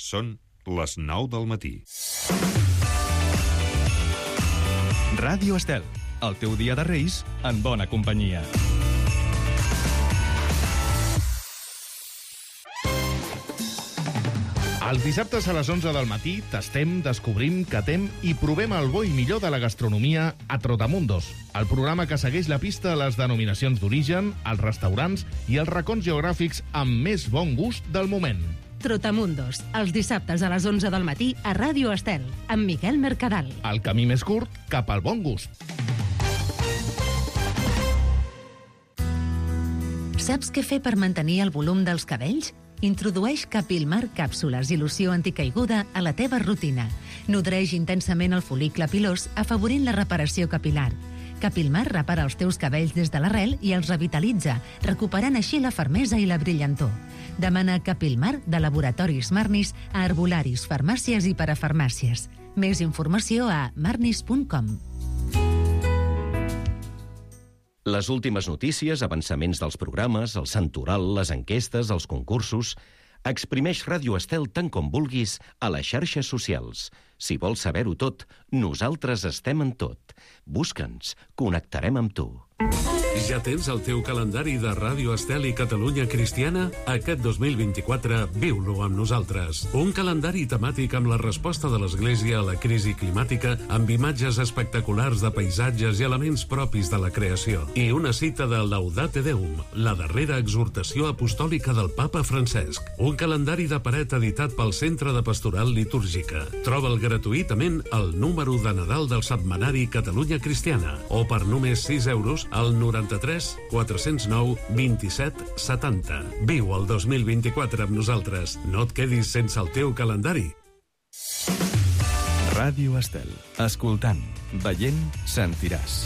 Són les 9 del matí. Ràdio Estel, el teu dia de Reis en bona companyia. Els dissabtes a les 11 del matí tastem, descobrim, catem i provem el bo i millor de la gastronomia a Trotamundos, el programa que segueix la pista a les denominacions d'origen, als restaurants i els racons geogràfics amb més bon gust del moment. Trotamundos, els dissabtes a les 11 del matí a Ràdio Estel, amb Miquel Mercadal. El camí més curt cap al bon gust. Saps què fer per mantenir el volum dels cabells? Introdueix Capilmar càpsules i loció anticaiguda a la teva rutina. Nodreix intensament el fol·licle pilós, afavorint la reparació capilar. Capilmar repara els teus cabells des de l'arrel i els revitalitza, recuperant així la fermesa i la brillantor. Demana Capilmar de Laboratoris Marnis a herbolaris, farmàcies i parafarmàcies. Més informació a marnis.com. Les últimes notícies, avançaments dels programes, el santoral, les enquestes, els concursos... Exprimeix Ràdio Estel tant com vulguis a les xarxes socials. Si vols saber-ho tot, nosaltres estem en tot. Busca'ns, connectarem amb tu. Ja tens el teu calendari de Ràdio Estel i Catalunya Cristiana? Aquest 2024 viu-lo amb nosaltres. Un calendari temàtic amb la resposta de l'Església a la crisi climàtica, amb imatges espectaculars de paisatges i elements propis de la creació. I una cita de Laudate Deum, la darrera exhortació apostòlica del Papa Francesc. Un calendari de paret editat pel Centre de Pastoral Litúrgica. Troba'l gratuïtament al número de Nadal del setmanari Catalunya Cristiana o per només 6 euros al 93 409 27 70. Viu el 2024 amb nosaltres. No et quedis sense el teu calendari. Ràdio Estel. Escoltant, veient, sentiràs.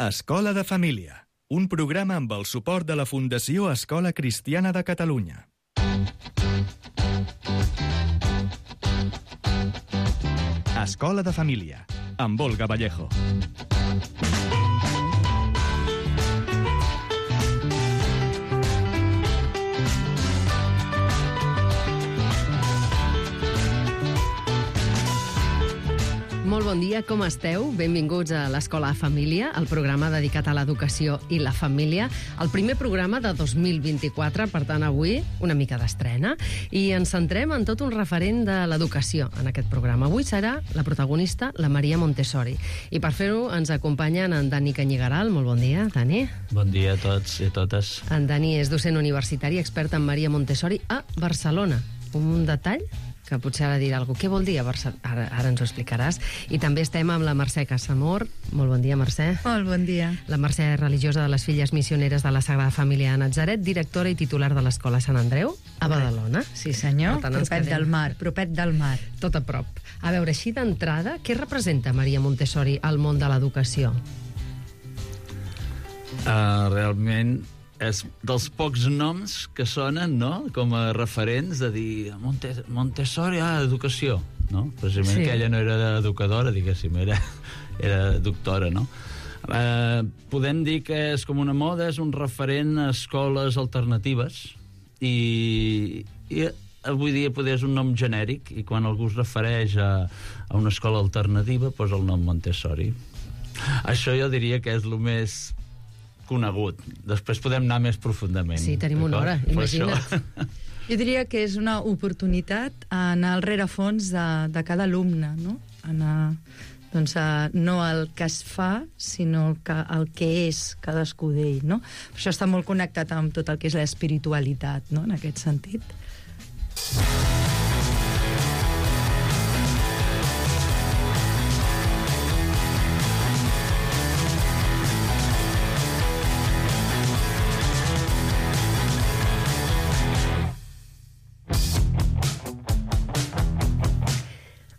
Escola de Família. Un programa amb el suport de la Fundació Escola Cristiana de Catalunya. Escola de Família, amb Olga Vallejo. Molt bon dia, com esteu? Benvinguts a l'Escola de Família, el programa dedicat a l'educació i la família. El primer programa de 2024, per tant, avui una mica d'estrena. I ens centrem en tot un referent de l'educació en aquest programa. Avui serà la protagonista, la Maria Montessori. I per fer-ho ens acompanyen en Dani Canyigaral. Molt bon dia, Dani. Bon dia a tots i a totes. En Dani és docent universitari, expert en Maria Montessori a Barcelona. Un detall que potser ha de dir alguna cosa. Què vol dir a Barcelona? Ara ens ho explicaràs. I també estem amb la Mercè Casamor. Molt bon dia, Mercè. Molt bon dia. La Mercè és religiosa de les Filles Missioneres de la Sagrada Família de Natzaret, directora i titular de l'Escola Sant Andreu, a Badalona. Sí, senyor. Propet del mar, propet del mar. Tot a prop. A veure, així d'entrada, què representa Maria Montessori al món de l'educació? Realment és dels pocs noms que sonen, no?, com a referents de dir Montessori, educació, no? Precisament que ella no era educadora, diguéssim, era doctora, no? Podem dir que és com una moda, és un referent a escoles alternatives i avui dia poder és un nom genèric i quan algú es refereix a una escola alternativa posa el nom Montessori. Això jo diria que és el més conegut. Després podem anar més profundament. Sí, tenim una hora, imagina't. Jo diria que és una oportunitat a anar al rerefons de cada alumne, no? Anar, doncs, no el que es fa, sinó el que és cadascú d'ell, no? Això està molt connectat amb tot el que és l'espiritualitat, no?, en aquest sentit.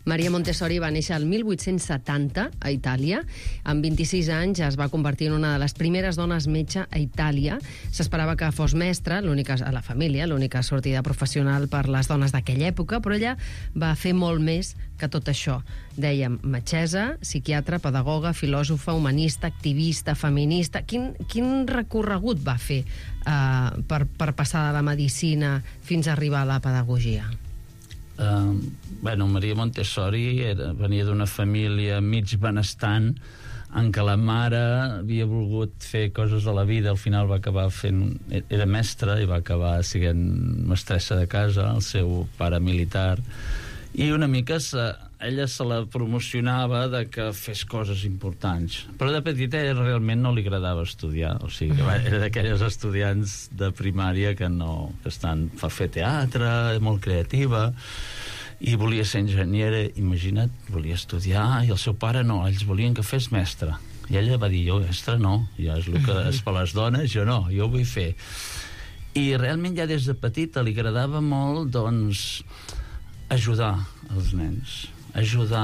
Maria Montessori va néixer el 1870 a Itàlia. Amb 26 anys es va convertir en una de les primeres dones metge a Itàlia. S'esperava que fos mestra, l'única a la família, l'única sortida professional per les dones d'aquella època, però ella va fer molt més que tot això. Dèiem metgessa, psiquiatra, pedagoga, filòsofa, humanista, activista, feminista. Quin recorregut va fer per passar de la medicina fins a arribar a la pedagogia? Maria Montessori venia d'una família mig benestant en què la mare havia volgut fer coses a la vida, al final va acabar fent... Era mestra i va acabar sent mestressa de casa, el seu pare militar, i una mica ella se la promocionava de que fes coses importants. Però de petita ella realment no li agradava estudiar, o sigui, que era d'aquelles estudiants de primària que fa fer teatre, molt creativa, i volia ser enginyera, imagina't, volia estudiar, i el seu pare no, ells volien que fes mestre. I ella va dir, jo mestre no, ja és el que és per les dones, jo no, jo ho vull fer. I realment ja des de petita li agradava molt, doncs, ajudar els nens, ajudar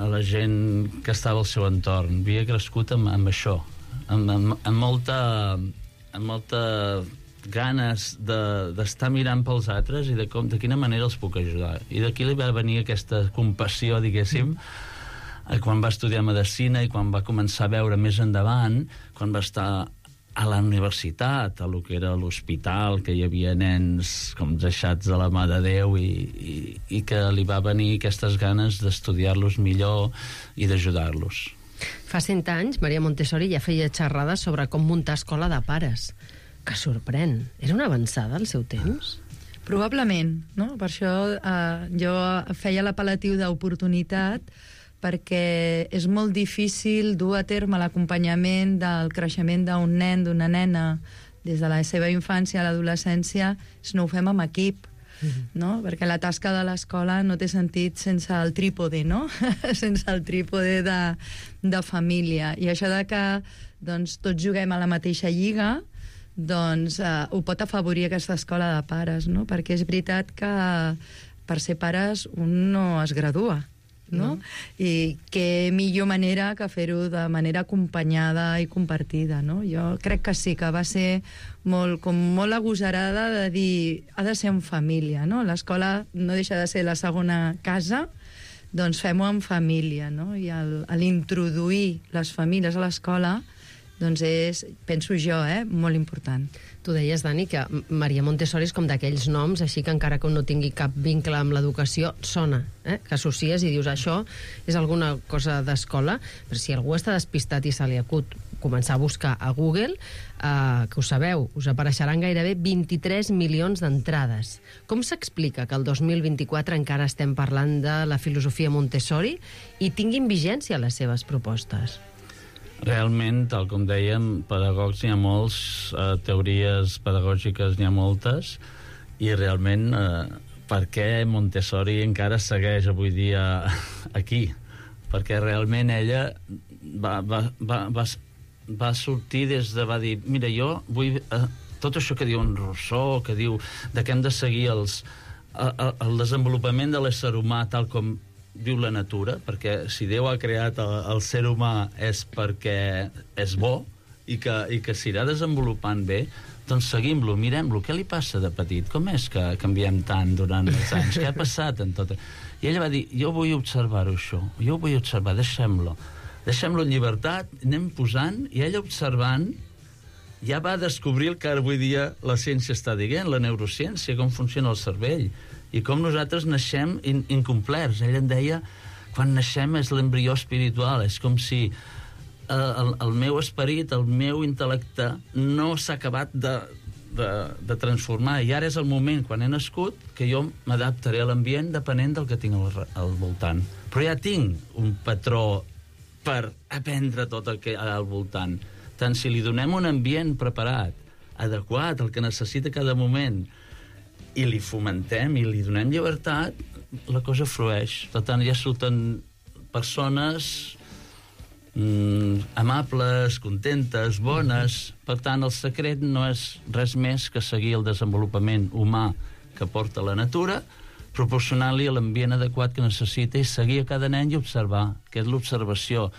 a la gent que estava al seu entorn. Havia crescut amb això, amb molta ganes d'estar mirant pels altres i de quina manera els puc ajudar. I d'aquí li va venir aquesta compassió, diguéssim, quan va estudiar medicina i quan va començar a veure més endavant, quan va estar a la universitat, a lo que era l'hospital, que hi havia nens com deixats de la mà de Déu i que li va venir aquestes ganes d'estudiar-los millor i d'ajudar-los. Fa 100 anys, Maria Montessori ja feia xerrades sobre com muntar escola de pares. Que sorprèn. Era una avançada al seu temps? Probablement, no? Per això jo feia l'apel·latiu d'oportunitat, perquè és molt difícil dur a terme l'acompanyament del creixement d'un nen, d'una nena, des de la seva infància a l'adolescència, si no ho fem amb equip, no? Perquè la tasca de l'escola no té sentit sense el trípode, no? Sense el trípode de família. I això de que doncs, tots juguem a la mateixa lliga, doncs ho pot afavorir aquesta escola de pares, no? Perquè és veritat que per ser pares un no es gradua, no? I què millor manera que fer-ho de manera acompanyada i compartida, no? Jo crec que sí, que va ser molt agosarada de dir ha de ser en família, no? L'escola no deixa de ser la segona casa, doncs fem-ho en família, no? I l'introduir les famílies a l'escola doncs és, penso jo, molt important. Tu deies, Dani, que Maria Montessori és com d'aquells noms, així que encara que no tingui cap vincle amb l'educació, sona, que associes i dius això és alguna cosa d'escola, però si algú està despistat i se li acut començar a buscar a Google, que ho sabeu, us apareixeran gairebé 23 milions d'entrades. Com s'explica que el 2024 encara estem parlant de la filosofia Montessori i tinguin vigència les seves propostes? Realment, tal com dèiem, pedagogs n'hi ha molts, teories pedagògiques n'hi ha moltes, i realment per què Montessori encara segueix avui dia aquí? Perquè realment ella va sortir va dir, mira, jo vull tot això que diu en Rousseau, que diu que hem de seguir el desenvolupament de l'ésser humà tal com diu la natura, perquè si Déu ha creat el ser humà és perquè és bo i que s'irà desenvolupant bé, doncs seguim-lo, mirem-lo, què li passa de petit? Com és que canviem tant durant els anys? Què ha passat en tot? I ella va dir, jo vull observar-ho això, jo ho vull observar, deixem-lo en llibertat, anem posant, i ella observant ja va descobrir el que avui dia la ciència està dient, la neurociència, com funciona el cervell, i com nosaltres naixem incomplerts. Ella en deia, quan naixem és l'embrió espiritual, és com si el meu esperit, el meu intel·lecte no s'ha acabat de transformar, i ara és el moment, quan he nascut, que jo m'adaptaré a l'ambient depenent del que tinc al voltant. Però ja tinc un patró per aprendre tot el que hi ha al voltant. Tant si li donem un ambient preparat, adequat, el que necessita cada moment, i li fomentem i li donem llibertat, la cosa flueix. Per tant, ja surten persones amables, contentes, bones. Per tant, el secret no és res més que seguir el desenvolupament humà que porta la natura, proporcionant-li l'ambient adequat que necessita i seguir a cada nen i observar, que és l'observació.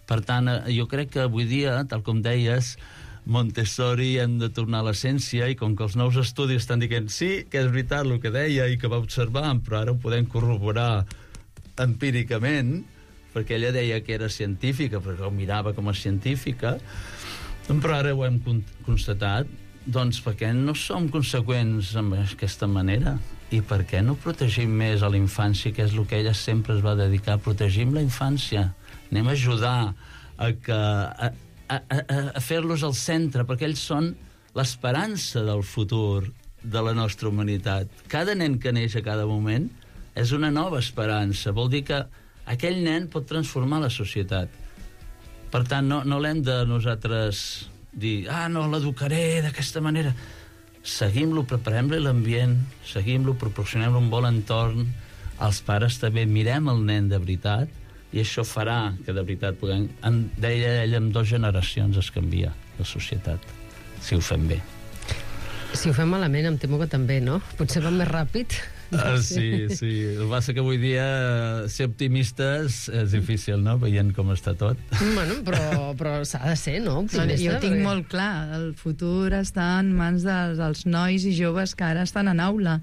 Per tant, jo crec que avui dia, tal com deies, Montessori hem de tornar a l'essència, i com que els nous estudis estan dient sí, que és veritat el que deia i que va observar, però ara ho podem corroborar empíricament, perquè ella deia que era científica, perquè ho mirava com a científica, però ara ho hem constatat, doncs perquè no som conseqüents amb aquesta manera, i per què no protegim més a la infància, que és el que ella sempre es va dedicar, protegim la infància, anem a ajudar a fer-los al centre, perquè ells són l'esperança del futur de la nostra humanitat. Cada nen que neix a cada moment és una nova esperança, vol dir que aquell nen pot transformar la societat. Per tant, no l'hem de nosaltres dir, no, l'educaré d'aquesta manera. Seguim-lo, preparem-li l'ambient, seguim-lo, proporcionem-lo un bon entorn, els pares també mirem el nen de veritat, i això farà que de veritat puguem... Deia ella, en 2 generacions es canvia la societat, si ho fem bé. Si ho fem malament, em temo que també, no? Potser va més ràpid. Sí. El que passa que avui dia ser optimistes és difícil, no?, veient com està tot. Bueno, però s'ha de ser, no?, optimista. Jo tinc molt clar, el futur està en mans dels nois i joves que ara estan en aula,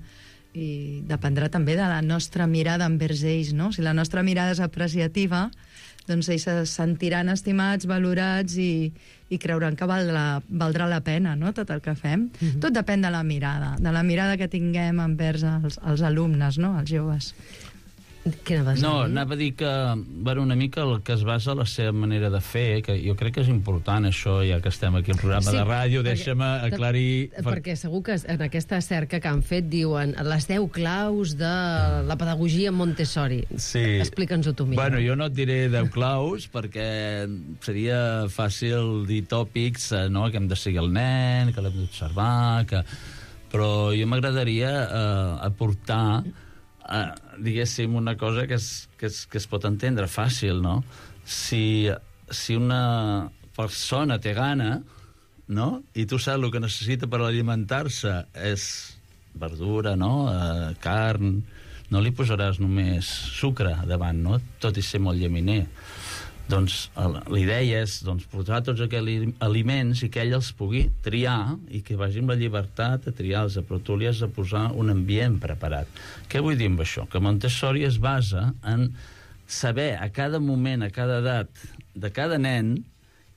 i dependrà també de la nostra mirada envers ells, no? Si la nostra mirada és apreciativa, doncs ells se sentiran estimats, valorats i creuran que valdrà la pena, no?, tot el que fem. Tot depèn de la mirada que tinguem envers els alumnes, no?, els joves. Què anaves a dir? No, anava a dir que, bueno, una mica el que es basa la seva manera de fer, que jo crec que és important això, ja que estem aquí al programa de ràdio, deixa'm aclarir... Perquè segur que en aquesta cerca que han fet diuen les 10 claus de la pedagogia Montessori. Sí. Explica'ns-ho tu, Mira. Bueno, jo no et diré 10 claus, perquè seria fàcil dir tòpics, no?, que hem de seguir el nen, que l'hem d'observar, però jo m'agradaria aportar... diguéssim, una cosa que es pot entendre fàcil, no? Si una persona té gana, no?, i tu saps el que necessita per alimentar-se és verdura, no?, carn, no li posaràs només sucre davant, no?, tot i ser molt llaminer. Doncs la idea és posar tots aquells aliments i que ell els pugui triar i que vagi amb la llibertat a triar-los, però tu li has de posar un ambient preparat. Què vull dir amb això? Que Montessori es basa en saber a cada moment, a cada edat de cada nen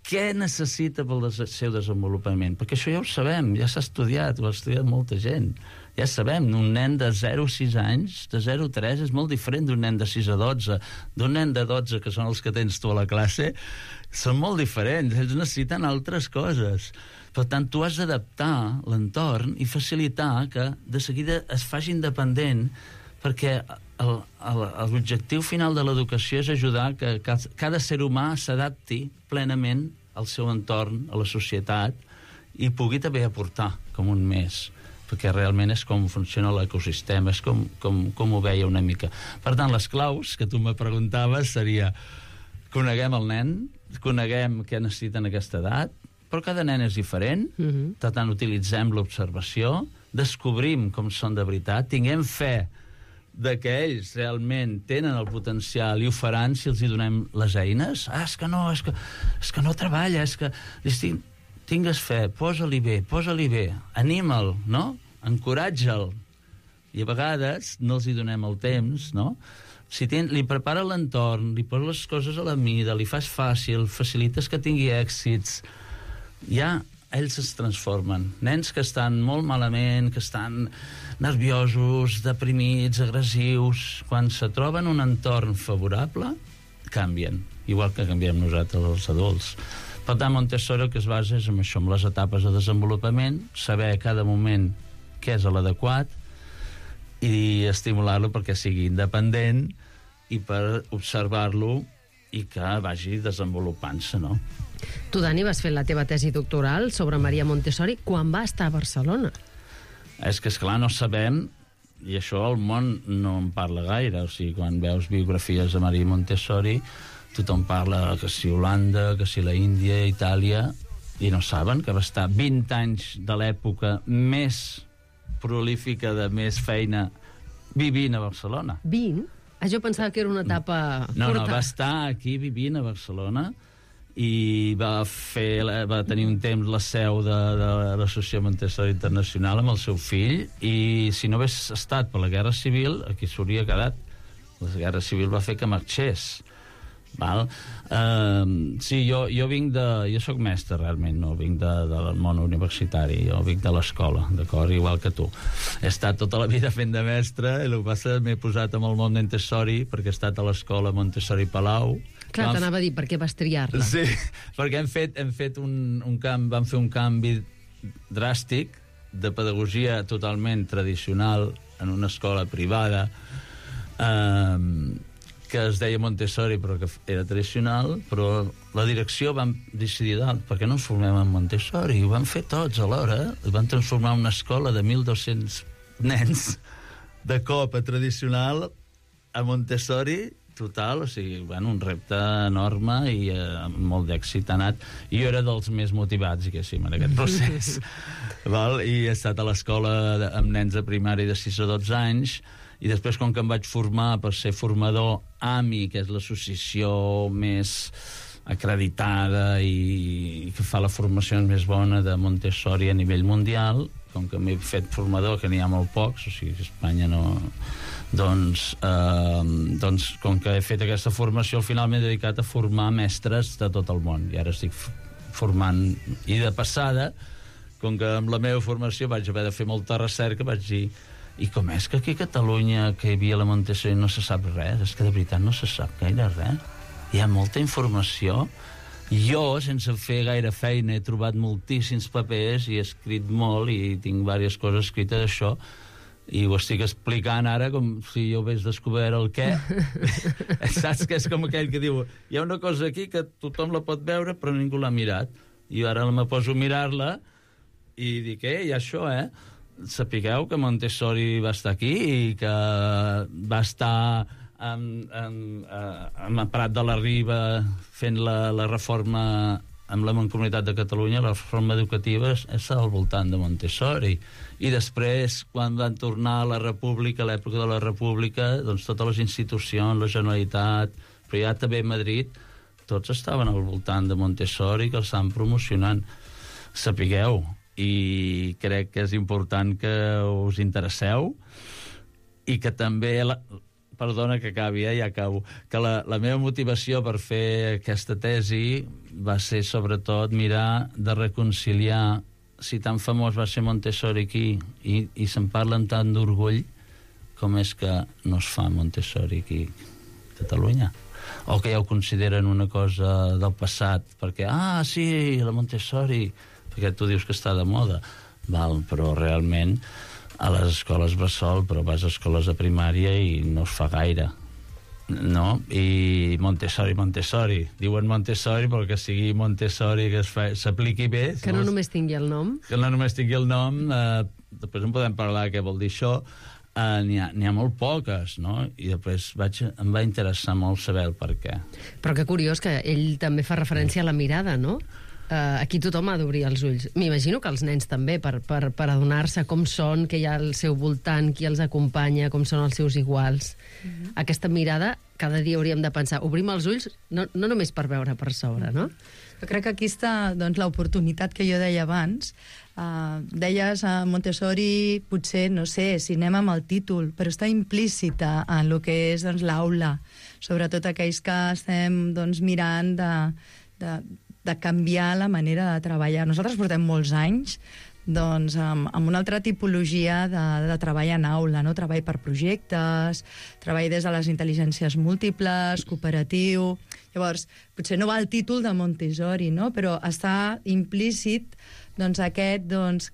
què necessita pel seu desenvolupament. Perquè això ja ho sabem, ja s'ha estudiat, ho ha estudiat molta gent. Ja sabem, un nen de 0 a 6 anys, de 0 a 3, és molt diferent d'un nen de 6 a 12. D'un nen de 12, que són els que tens tu a la classe, són molt diferents. Ells necessiten altres coses. Per tant, tu has d'adaptar l'entorn i facilitar que de seguida es faci independent, perquè l'objectiu final de l'educació és ajudar que cada ser humà s'adapti plenament al seu entorn, a la societat, i pugui també aportar com un més, perquè realment és com funciona l'ecosistema, és com ho veia una mica. Per tant, les claus que tu me preguntaves seria coneguem el nen, coneguem què necessita en aquesta edat, però cada nen és diferent, per tant, utilitzem l'observació, descobrim com són de veritat, tinguem fe de que ells realment tenen el potencial i ho faran si els hi donem les eines. És que no treballa, és que... Tingues fe, posa-li bé, anima'l, no? Encoratja'l. I a vegades no els hi donem el temps, no? Si li prepara l'entorn, li poses les coses a la mida, li fas fàcil, facilites que tingui èxits, ja ells es transformen. Nens que estan molt malament, que estan nerviosos, deprimits, agressius, quan se troben un entorn favorable, canvien, igual que canviem nosaltres els adults. Per tant, Montessori el que es basa és en això, en les etapes de desenvolupament, saber a cada moment què és l'adequat i estimular-lo perquè sigui independent i per observar-lo i que vagi desenvolupant-se, no? Tu, Dani, vas fer la teva tesi doctoral sobre Maria Montessori quan va estar a Barcelona. És que, esclar, no sabem, i això el món no en parla gaire, o sigui, quan veus biografies de Maria Montessori, tothom parla que si Holanda, que si la Índia, Itàlia, i no saben que va estar 20 anys de l'època més prolífica, de més feina vivint a Barcelona. 20? Jo pensava que era una etapa No, curta. va estar aquí vivint a Barcelona i va tenir un temps la seu de l'Associació Montessori Internacional amb el seu fill, i si no hagués estat per la Guerra Civil, aquí s'hauria quedat. La Guerra Civil va fer que marxés. Val? Sí, jo vinc jo soc mestre realment, no vinc del món universitari, jo vinc de l'escola, d'acord, igual que tu. He estat tota la vida fent de mestre, i el que passa m'he posat amb el món Montessori perquè he estat a l'escola Montessori Palau. Clar, t'anava a dir, per què vas triar-la? Sí, perquè vam fer un canvi dràstic de pedagogia totalment tradicional en una escola privada que es deia Montessori, però que era tradicional, però la direcció vam decidir, per què no ens formem en Montessori? I ho vam fer tots alhora. Vam transformar una escola de 1.200 nens de cop a tradicional a Montessori total, o sigui, un repte enorme i amb molt d'èxit ha anat. I jo era dels més motivats, diguéssim, en aquest procés. Val? I he estat a l'escola amb nens de primària de 6 a 12 anys, i després, com que em vaig formar per ser formador AMI, que és l'associació més acreditada i que fa la formació més bona de Montessori a nivell mundial, com que m'he fet formador, que n'hi ha molt pocs, o sigui, a Espanya no... Doncs, com que he fet aquesta formació, al final m'he dedicat a formar mestres de tot el món, i ara estic formant. I de passada, com que amb la meva formació vaig haver de fer molta recerca, vaig dir, i com és que aquí a Catalunya, que hi havia la Montessori, no se sap res? És que de veritat no se sap gaire res. Hi ha molta informació. Jo, sense fer gaire feina, he trobat moltíssims papers i he escrit molt, i tinc diverses coses escrites d'això, i ho estic explicant ara com si jo hagués descobert el què. Saps que és com aquell que diu, hi ha una cosa aquí que tothom la pot veure però ningú l'ha mirat, i ara me poso a mirar-la i dic, hi ha això, sapigueu que Montessori va estar aquí i que va estar a Prat de la Riba fent la reforma amb la Mancomunitat de Catalunya. La reforma educativa és al voltant de Montessori. I després, quan van tornar a la República, a l'època de la República, doncs totes les institucions, la Generalitat, però ja també Madrid, tots estaven al voltant de Montessori, que el estan promocionant. Sapigueu, i crec que és important que us interesseu, i que també... Perdona que acabi, ja acabo. Que la meva motivació per fer aquesta tesi va ser, sobretot, mirar de reconciliar, si tan famós va ser Montessori aquí i se'n parla amb tant d'orgull, com és que no es fa Montessori aquí a Catalunya? O que ja ho consideren una cosa del passat, perquè, sí, la Montessori, perquè tu dius que està de moda. Val, però realment a les escoles bressol, però vas a escoles de primària i no es fa gaire, no? I Montessori. Diuen Montessori, però que sigui Montessori que s'apliqui bé. Que no només tingui el nom. Que no només tingui el nom. Després en podem parlar què vol dir això. N'hi ha molt poques, no? I després em va interessar molt saber el per què. Però que curiós que ell també fa referència a la mirada, no? Aquí tothom ha d'obrir els ulls. M'imagino que els nens també, per adonar-se com són, què hi ha al seu voltant, qui els acompanya, com són els seus iguals. Aquesta mirada, cada dia hauríem de pensar, obrim els ulls no només per veure per sobre, no? Jo crec que aquí està l'oportunitat que jo deia abans. Deies a Montessori, potser, no sé, si anem amb el títol, però està implícita en el que és l'aula, sobretot aquells que estem mirant de canviar la manera de treballar. Nosaltres portem molts anys amb una altra tipologia de treball en aula, no? Treball per projectes, treball des de les intel·ligències múltiples, cooperatiu. Llavors, potser no va el títol de Montessori, no? Però està implícit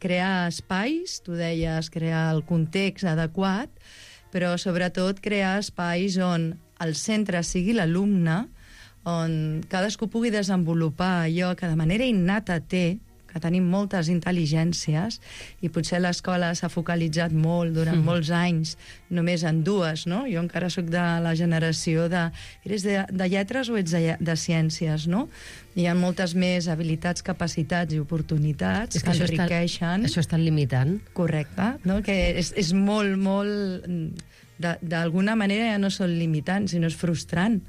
crear espais, tu deies, crear el context adequat, però sobretot crear espais on el centre sigui l'alumne, on cadascú pugui desenvolupar allò que de manera innata té, que tenim moltes intel·ligències, i potser l'escola s'ha focalitzat molt durant molts anys només en dues, no? Jo encara sóc de la generació de... Eres de lletres o ets de ciències, no? Hi ha moltes més habilitats, capacitats i oportunitats que enriqueixen. Això està limitant. Correcte, no? Que és molt, molt... d'alguna manera ja no són limitants, sinó és frustrant,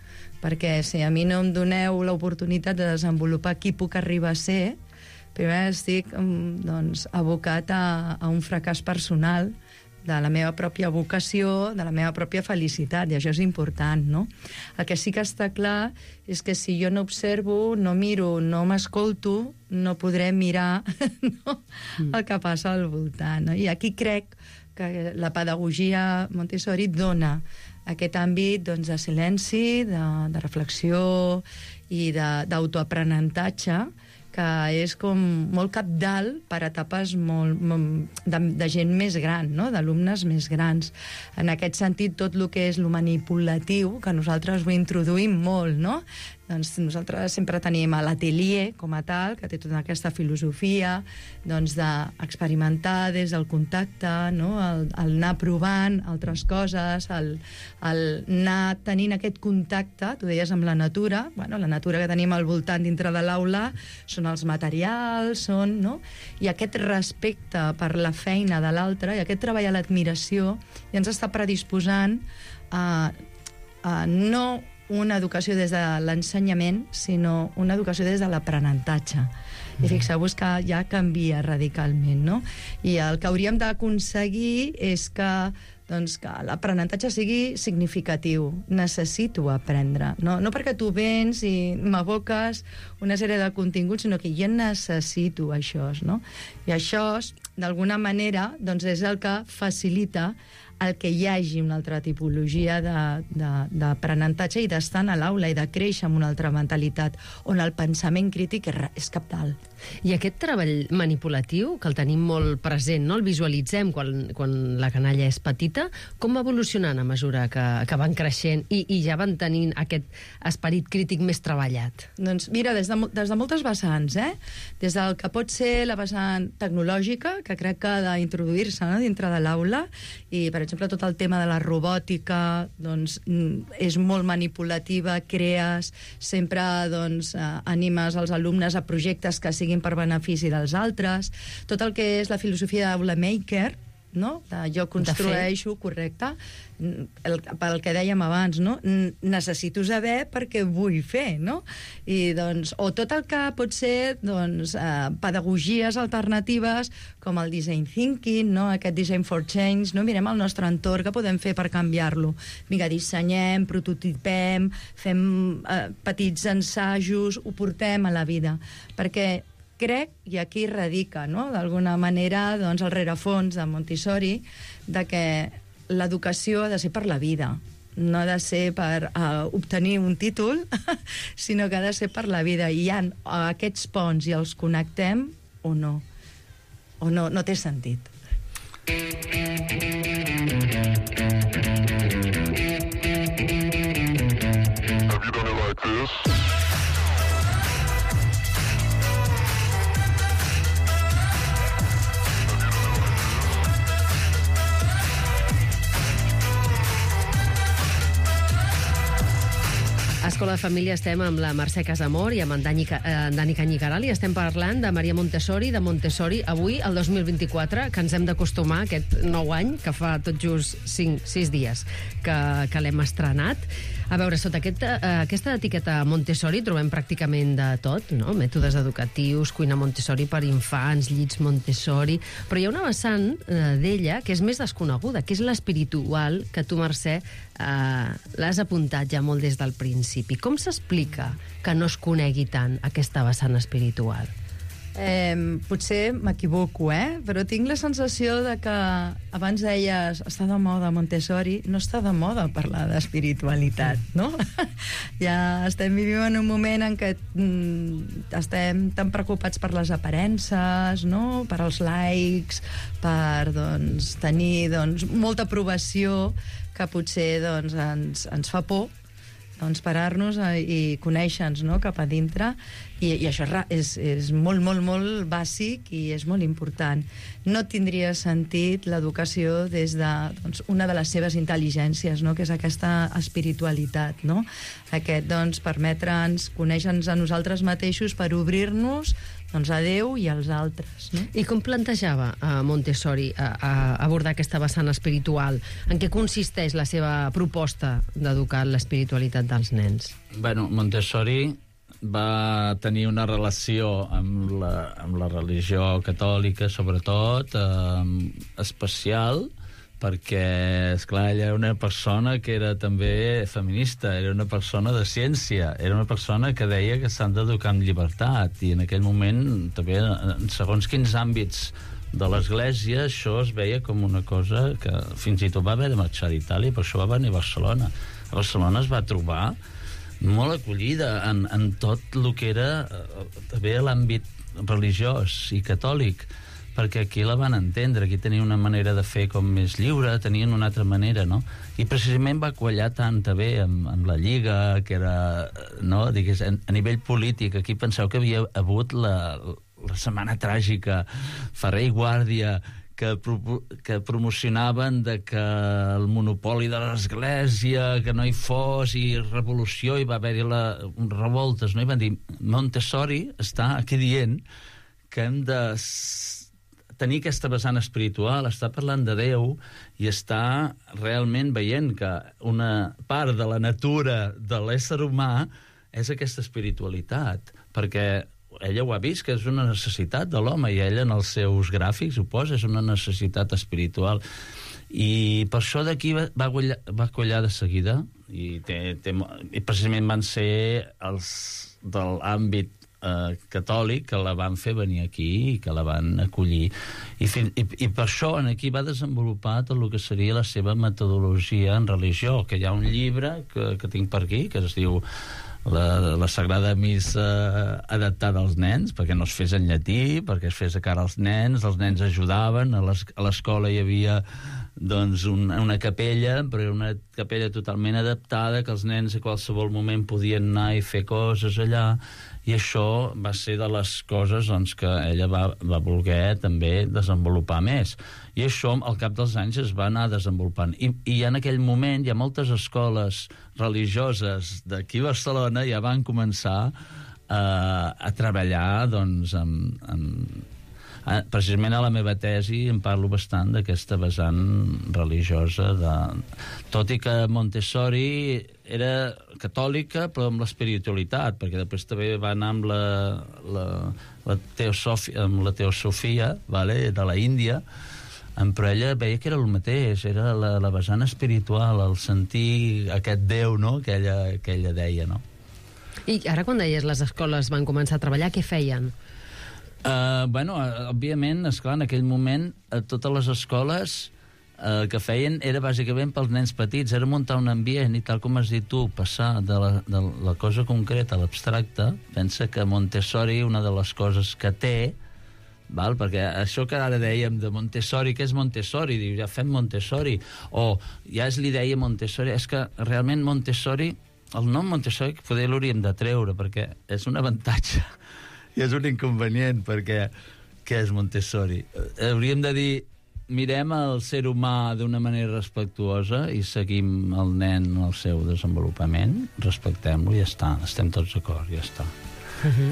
perquè si a mi no em doneu l'oportunitat de desenvolupar qui puc arribar a ser, primer estic doncs, abocat a un fracàs personal de la meva pròpia vocació, de la meva pròpia felicitat, i això és important, no? El que sí que està clar és que si jo no observo, no miro, no m'escolto, no podré mirar no? El que passa al voltant. No? I aquí crec que la pedagogia Montessori dona aquest àmbit doncs, de silenci, de reflexió i d'autoaprenentatge, que és com molt cabdal per etapes de gent més gran, no? D'alumnes més grans. En aquest sentit, tot el que és lo manipulatiu, que nosaltres ho introduïm molt, no? Doncs nosaltres sempre tenim l'atelier com a tal, que té tota aquesta filosofia doncs, d'experimentar des del contacte, no? el anar provant altres coses, el anar tenint aquest contacte, tu deies, amb la natura. Bueno, la natura que tenim al voltant dintre de l'aula són els materials, no? I aquest respecte per la feina de l'altre i aquest treball a l'admiració ja ens està predisposant a no una educació des de l'ensenyament, sinó una educació des de l'aprenentatge. I fixeu-vos que ja canvia radicalment, no? I el que hauríem d'aconseguir és que l'aprenentatge sigui significatiu. Necessito aprendre. No perquè tu vens i m'aboques una sèrie de continguts, sinó que jo necessito això, no? I això, d'alguna manera, doncs és el que facilita el que hi hagi una altra tipologia d'aprenentatge i d'estar a l'aula i de créixer amb una altra mentalitat, on el pensament crític és cabdal. I aquest treball manipulatiu, que el tenim molt present, no? El visualitzem quan la canalla és petita, com va evolucionant a mesura que van creixent i ja van tenint aquest esperit crític més treballat? Doncs mira, des de moltes vessants, des del que pot ser la vessant tecnològica, que crec que ha d'introduir-se, no? Dintre de l'aula, i per exemple tot el tema de la robòtica doncs, és molt manipulativa, crees, sempre doncs, animes els alumnes a projectes que siguin per benefici dels altres, tot el que és la filosofia d'Aula Maker, no? Jo construeixo, correcte, pel que dèiem abans, no? Necessito saber perquè vull fer, no? I, doncs, o tot el que pot ser doncs, pedagogies alternatives com el design thinking, no? Aquest design for change, no? Mirem el nostre entorn, què podem fer per canviar-lo? Vinga, dissenyem, prototipem, fem petits ensajos, ho portem a la vida, perquè crec, i aquí radica, no? D'alguna manera, doncs, el rerefons de Montessori, de que l'educació ha de ser per la vida, no ha de ser per obtenir un títol, sinó que ha de ser per la vida. I hi ha aquests ponts i els connectem o no. O no té sentit. Have you done it like this? A Escola de Família estem amb la Mercè Casamor i amb en Dani Canyicaral i estem parlant de Maria Montessori, de Montessori, avui, el 2024, que ens hem d'acostumar a aquest nou any, que fa tot just 6 dies que l'hem estrenat. A veure, sota aquesta etiqueta Montessori trobem pràcticament de tot, no? Mètodes educatius, cuina Montessori per infants, llits Montessori... Però hi ha una vessant d'ella que és més desconeguda, que és l'espiritual, que tu, Mercè, l'has apuntat ja molt des del principi. Com s'explica que no es conegui tant aquesta vessant espiritual? Potser m'equivoco, però tinc la sensació de que abans deies està de moda Montessori, no està de moda parlar d'espiritualitat, no? Ja estem vivint en un moment en què estem tan preocupats per les aparences, no? Per als likes, per tenir molta aprovació, que potser ens fa por parar-nos i conèixer-nos, no? Cap a dintre, i això és molt, molt, molt bàsic i és molt important. No tindria sentit l'educació des de una de les seves intel·ligències, no? Que és aquesta espiritualitat, no? Aquest, permetre'ns conèixer-nos a nosaltres mateixos per obrir-nos doncs a Déu i als altres, no? I com plantejava Montessori abordar aquesta vessant espiritual? En què consisteix la seva proposta d'educar l'espiritualitat dels nens? Bueno, Montessori va tenir una relació amb la religió catòlica, sobretot, especial, perquè, esclar, ella era una persona que era també feminista, era una persona de ciència, era una persona que deia que s'han d'educar amb llibertat, i en aquell moment, també, en segons quins àmbits de l'Església, això es veia com una cosa que fins i tot va haver de marxar d'Itàlia, per això va venir a Barcelona. A Barcelona es va trobar molt acollida en tot el que era també l'àmbit religiós i catòlic, perquè aquí la van entendre, aquí tenien una manera de fer com més lliure, tenien una altra manera, no? I precisament va quallar tant també amb la Lliga, que era, no, digués, a nivell polític. Aquí penseu que havia hagut la Setmana Tràgica, Ferrer i Guàrdia, que promocionaven de que el monopoli de l'Església, que no hi fos, i revolució, i va haver-hi revoltes, no? I van dir, Montessori està aquí dient que hem de tenir aquesta vessant espiritual, està parlant de Déu i està realment veient que una part de la natura de l'ésser humà és aquesta espiritualitat, perquè ella ho ha vist, que és una necessitat de l'home, i ella en els seus gràfics ho posa, és una necessitat espiritual. I per això d'aquí va quallar de seguida, i precisament van ser els de l'àmbit catòlic que la van fer venir aquí i que la van acollir. I per això aquí va desenvolupar tot el que seria la seva metodologia en religió, que hi ha un llibre que tinc per aquí, que es diu la Sagrada Missa adaptada als nens, perquè no es fes en llatí, perquè es fes de cara als nens ajudaven, a l'escola hi havia doncs una capella, però una capella totalment adaptada, que els nens a qualsevol moment podien anar i fer coses allà, i això va ser de les coses doncs, que ella va voler també desenvolupar més. I això, al cap dels anys, es va anar desenvolupant. I en aquell moment hi ha moltes escoles religioses d'aquí a Barcelona ja van començar a treballar doncs, precisament a la meva tesi em parlo bastant d'aquesta vessant religiosa tot i que Montessori era catòlica però amb l'espiritualitat, perquè després també va anar amb la teosofia, vale? De la Índia, però ella veia que era el mateix, era la vessant espiritual, el sentir aquest Déu, no? que ella deia, no? I ara quan deies les escoles van començar a treballar, què feien? Òbviament, esclar, en aquell moment totes les escoles que feien era bàsicament pels nens petits, era muntar un ambient i tal com has dit tu, passar de la cosa concreta a l'abstracte. Pensa que Montessori, una de les coses que té, perquè això que ara dèiem de Montessori, què és Montessori? Diu, ja fem Montessori, o ja és l'idea Montessori, és que realment Montessori, el nom Montessori poder l'hauríem de treure, perquè és un avantatge i és un inconvenient, perquè què és Montessori? Hauríem de dir, mirem el ser humà d'una manera respectuosa i seguim el nen en el seu desenvolupament, respectem-lo i ja està, estem tots d'acord, ja està.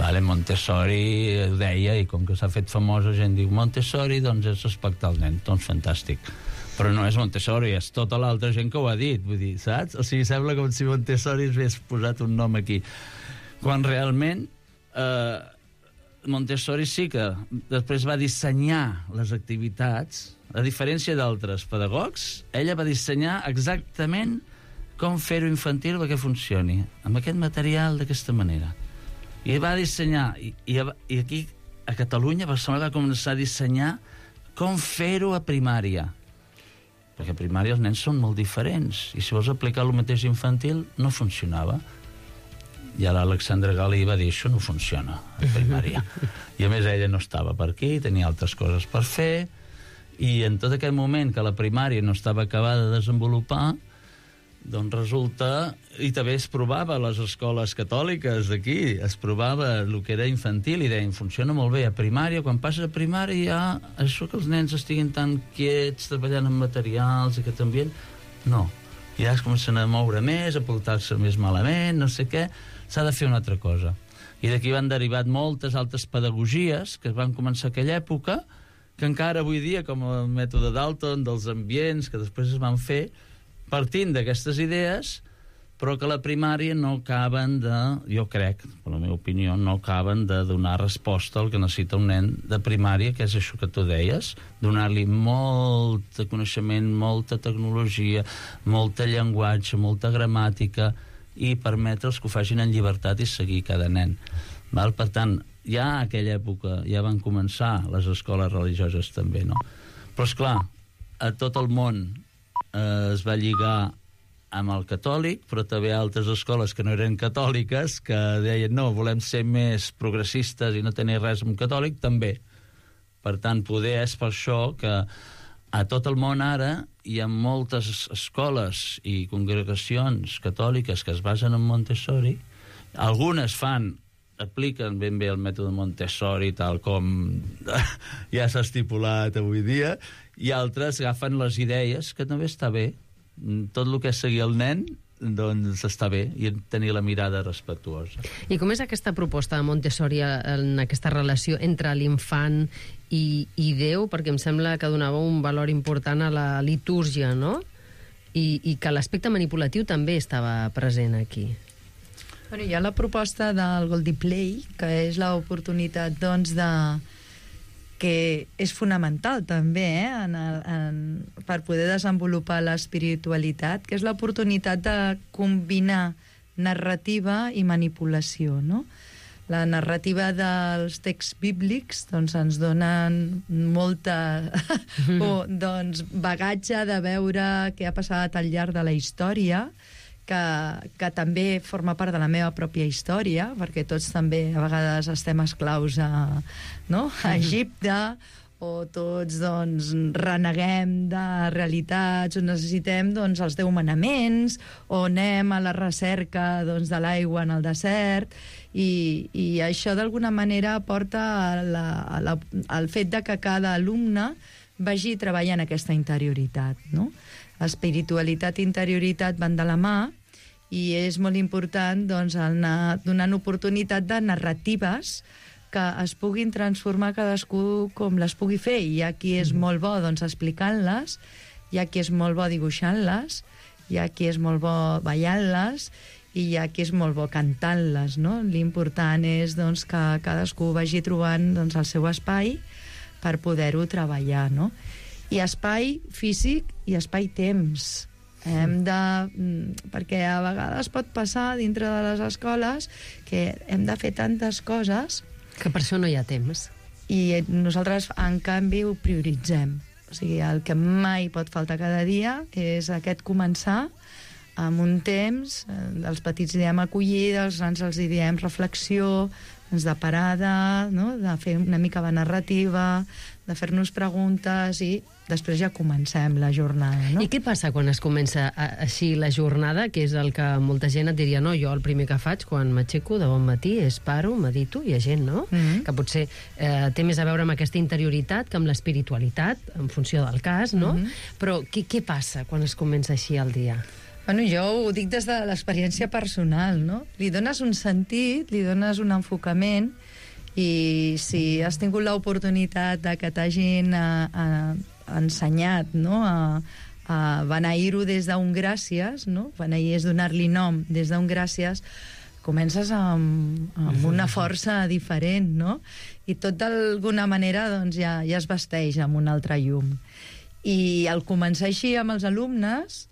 Vale, Montessori ho deia, i com que s'ha fet famosa, gent diu Montessori, doncs és respectar el nen, doncs fantàstic. Però no és Montessori, és tota l'altra gent que ho ha dit, vull dir, saps? O sigui, sembla com si Montessori hagués posat un nom aquí. Quan realment Montessori sí que després va dissenyar les activitats, a diferència d'altres pedagogs, ella va dissenyar exactament com fer-ho infantil perquè funcioni, amb aquest material d'aquesta manera. I va dissenyar, i aquí a Catalunya, Barcelona va començar a dissenyar com fer-ho a primària. Perquè a primària els nens són molt diferents, i si vols aplicar el mateix infantil, no funcionava. I ara l'Alexandra Galí va dir, això no funciona a primària. I a més ella no estava per aquí, tenia altres coses per fer, i en tot aquell moment que la primària no estava acabada de desenvolupar, doncs resulta, i també es provava a les escoles catòliques d'aquí, es provava el que era infantil i deien, funciona molt bé a primària, quan passes a primària ja, això que els nens estiguin tan quiets, treballant amb materials, aquest ambient, no. Ja es comencen a moure més, a portar-se més malament, no sé què, s'ha de fer una altra cosa. I d'aquí van derivat moltes altres pedagogies que es van començar a aquella època, que encara avui dia, com el mètode Dalton, dels ambients, que després es van fer, partint d'aquestes idees, però que a la primària no acaben de, jo crec, per la meva opinió, no acaben de donar resposta al que necessita un nen de primària, que és això que tu deies, donar-li molt de coneixement, molta tecnologia, molta llenguatge, molta gramàtica, i permetre'ls que ho facin en llibertat i seguir cada nen. Val? Per tant, ja a aquella època ja van començar les escoles religioses també, no? Però, esclar, a tot el món es va lligar amb el catòlic, però també altres escoles que no eren catòliques, que deien, no, volem ser més progressistes i no tenir res amb catòlic, també. Per tant, poder és per això que a tot el món ara hi ha moltes escoles i congregacions catòliques que es basen en Montessori. Algunes apliquen ben bé el mètode Montessori tal com ja s'ha estipulat avui dia, i altres agafen les idees, que també està bé. Tot el que és seguir el nen, doncs està bé, i tenir la mirada respectuosa. I com és aquesta proposta de Montessori en aquesta relació entre l'infant i Déu? Perquè em sembla que donava un valor important a la litúrgia, no? I que l'aspecte manipulatiu també estava present aquí. Bueno, hi ha la proposta del Goldie Play, que és l'oportunitat, doncs, que és fonamental també per poder desenvolupar l'espiritualitat, que és l'oportunitat de combinar narrativa i manipulació, no? La narrativa dels texts bíblics doncs, ens donen molta bagatge de veure què ha passat al llarg de la història, que també forma part de la meva pròpia història, perquè tots també a vegades estem esclaus a Egipte, o tots doncs, reneguem de realitats, o necessitem doncs, els 10 manaments, o anem a la recerca doncs, de l'aigua en el desert, i això d'alguna manera porta al fet de que cada alumne vagi treballant aquesta interioritat, no? Espiritualitat i interioritat van de la mà, i és molt important doncs, anar donant oportunitat de narratives que es puguin transformar cadascú com les pugui fer. Hi ha qui és molt bo doncs, explicant-les, hi ha qui és molt bo dibuixant-les, hi ha qui és molt bo ballant-les, i hi ha qui és molt bo cantant-les, no? L'important és doncs, que cadascú vagi trobant doncs, el seu espai per poder-ho treballar, no? I espai físic i espai-temps. Perquè a vegades pot passar dintre de les escoles que hem de fer tantes coses que per això no hi ha temps. I nosaltres, en canvi, ho prioritzem. O sigui, el que mai pot faltar cada dia és aquest començar amb un temps, els petits hi diem acollida, els grans els hi diem reflexió, de parada, no? De fer una mica de narrativa, de fer-nos preguntes, i després ja comencem la jornada, no? I què passa quan es comença així la jornada, que és el que molta gent et diria, no, jo el primer que faig quan m'aixeco de bon matí és paro, medito, hi ha gent, no? Que potser té més a veure amb aquesta interioritat que amb l'espiritualitat, en funció del cas, no? Però què passa quan es comença així el dia? Bueno, jo ho dic des de l'experiència personal, no? Li dones un sentit, li dones un enfocament, i si has tingut l'oportunitat de que t'hagin ensenyat, no?, a beneir-ho des d'un gràcies, no? Beneir és donar-li nom des d'un gràcies, comences amb una força diferent, no? I tot d'alguna manera doncs, ja es vesteix amb un altre llum. I al començar així amb els alumnes,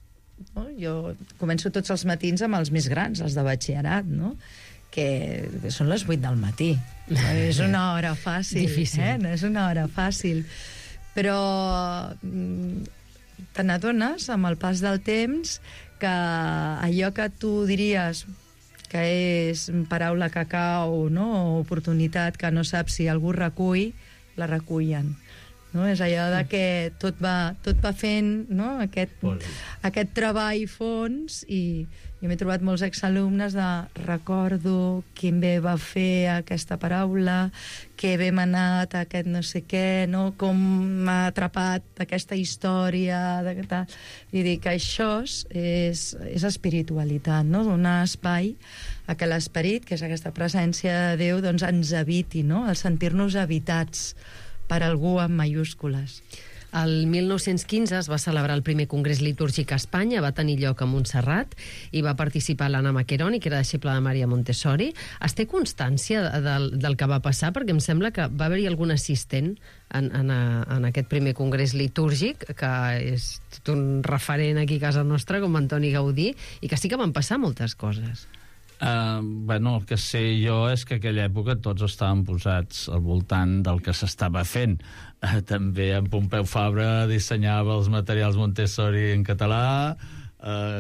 no? Jo començo tots els matins amb els més grans, els de batxillerat, no? Que són les 8 del matí. És una hora fàcil. Difícil. No és una hora fàcil. Però te n'adones amb el pas del temps que allò que tu diries que és paraula que cau, no? O oportunitat que no saps si algú recull, la recullen. no? És allò de que tot va fent, no? Aquest treball fons, i jo m'he trobat molts exalumnes de recordo quin bé va fer aquesta paraula, que bé m'ha anat aquest no sé què, no? Com m'ha atrapat aquesta història, i dir que això és espiritualitat, no? Donar espai a que l'esperit, que és aquesta presència de Déu, doncs ens habiti, no? El sentir-nos habitats per algú amb mayúscules. El 1915 es va celebrar el primer congrés litúrgic a Espanya, va tenir lloc a Montserrat, i va participar l'Anna Maccheroni, que era deixeble de Maria Montessori. Es té constància del que va passar? Perquè em sembla que va haver-hi algun assistent en aquest primer congrés litúrgic, que és tot un referent aquí a casa nostra, com Antoni Gaudí, i que sí que van passar moltes coses. El que sé jo és que a aquella època tots estaven posats al voltant del que s'estava fent. També en Pompeu Fabra dissenyava els materials Montessori en català,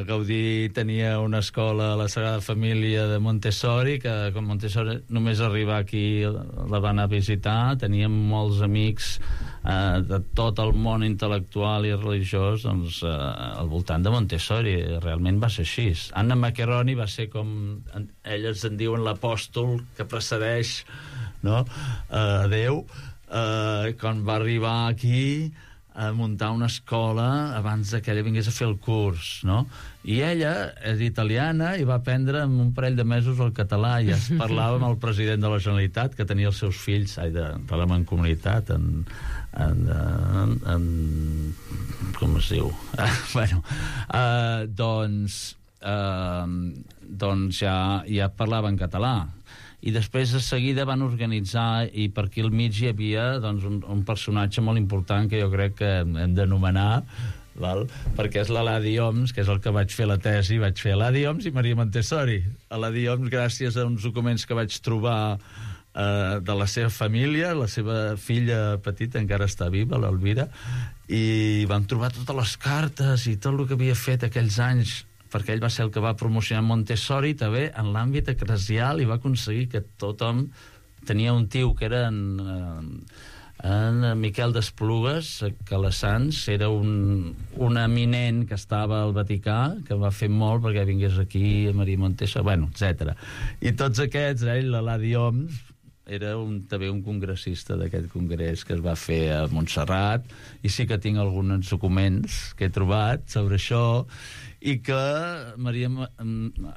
Gaudí tenia una escola a la Sagrada Família de Montessori, que com Montessori només arribar aquí la van a visitar. Teníem molts amics de tot el món intel·lectual i religiós al voltant de Montessori. Realment va ser així. Anna Maccheroni va ser, com elles en diuen, l'apòstol que precedeix, no? Déu, quan va arribar aquí a muntar una escola abans que ella vingués a fer el curs, no? I ella és italiana i va aprendre en un parell de mesos el català, i es parlava amb el president de la Generalitat, que tenia els seus fills de la Mancomunitat com es diu? Doncs ja parlava en català. I després de seguida van organitzar, i per aquí al mig hi havia un personatge molt important que jo crec que hem d'anomenar, perquè és l'Eladi Oms, que és el que vaig fer la tesi. Vaig fer Eladi Oms i Maria Montessori. Eladi Oms, gràcies a uns documents que vaig trobar de la seva família, la seva filla petita encara està viva, l'Elvira, i vam trobar totes les cartes i tot el que havia fet aquells anys, perquè ell va ser el que va promocionar Montessori també en l'àmbit eclesial, i va aconseguir que tothom tenia un tio que era en Miquel d'Esplugues, que a les Sants era un eminent que estava al Vaticà, que va fer molt perquè vingués aquí a Maria Montessori, etc. I tots aquests, l'Eladi Oms era també un congressista d'aquest congrés que es va fer a Montserrat, i sí que tinc alguns documents que he trobat sobre això, i que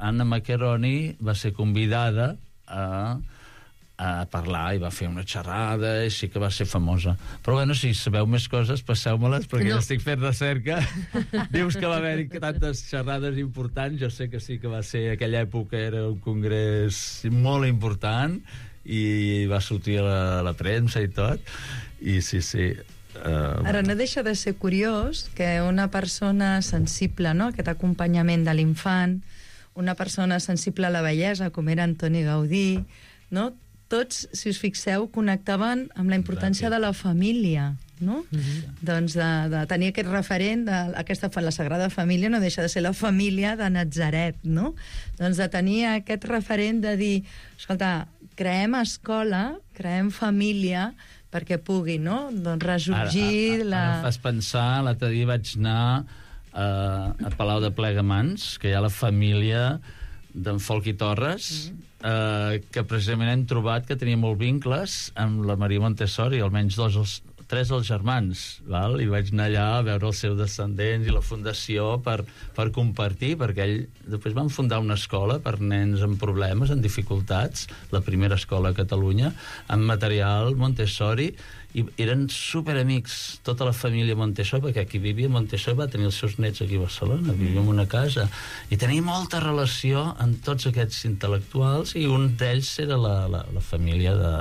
Anna Maccheroni va ser convidada a parlar, i va fer una xerrada, i sí que va ser famosa. Però bueno, si sabeu més coses, passeu-me-les, perquè jo estic fent recerca. Dius que va haver-hi tantes xerrades importants. Jo sé que sí que va ser, aquella època era un congrés molt important, i va sortir a la premsa i tot, i sí. Ara, no deixa de ser curiós que una persona sensible, no?, aquest acompanyament de l'infant, una persona sensible a la bellesa, com era Antoni Gaudí, no?, tots, si us fixeu, connectaven amb la importància de la família, no? Doncs de tenir aquest referent, la Sagrada Família no deixa de ser la família de Natzaret, no? Doncs de tenir aquest referent de dir, escolta, creem escola, creem família, perquè pugui, no?, doncs ressorgir ara fas pensar, l'altre dia vaig anar a Palau de Plegamans, que hi ha la família d'en Folch i Torres, que precisament hem trobat que tenia molts vincles amb la Maria Montessori, almenys tres dels germans, i vaig anar allà a veure els seus descendents i la fundació per compartir, perquè ell després van fundar una escola per nens amb problemes, amb dificultats, la primera escola a Catalunya, amb material Montessori, i eren superamics, tota la família Montessori, perquè aquí vivia Montessori, va tenir els seus nets aquí a Barcelona, vivia en una casa, i tenia molta relació amb tots aquests intel·lectuals, i un d'ells era la família de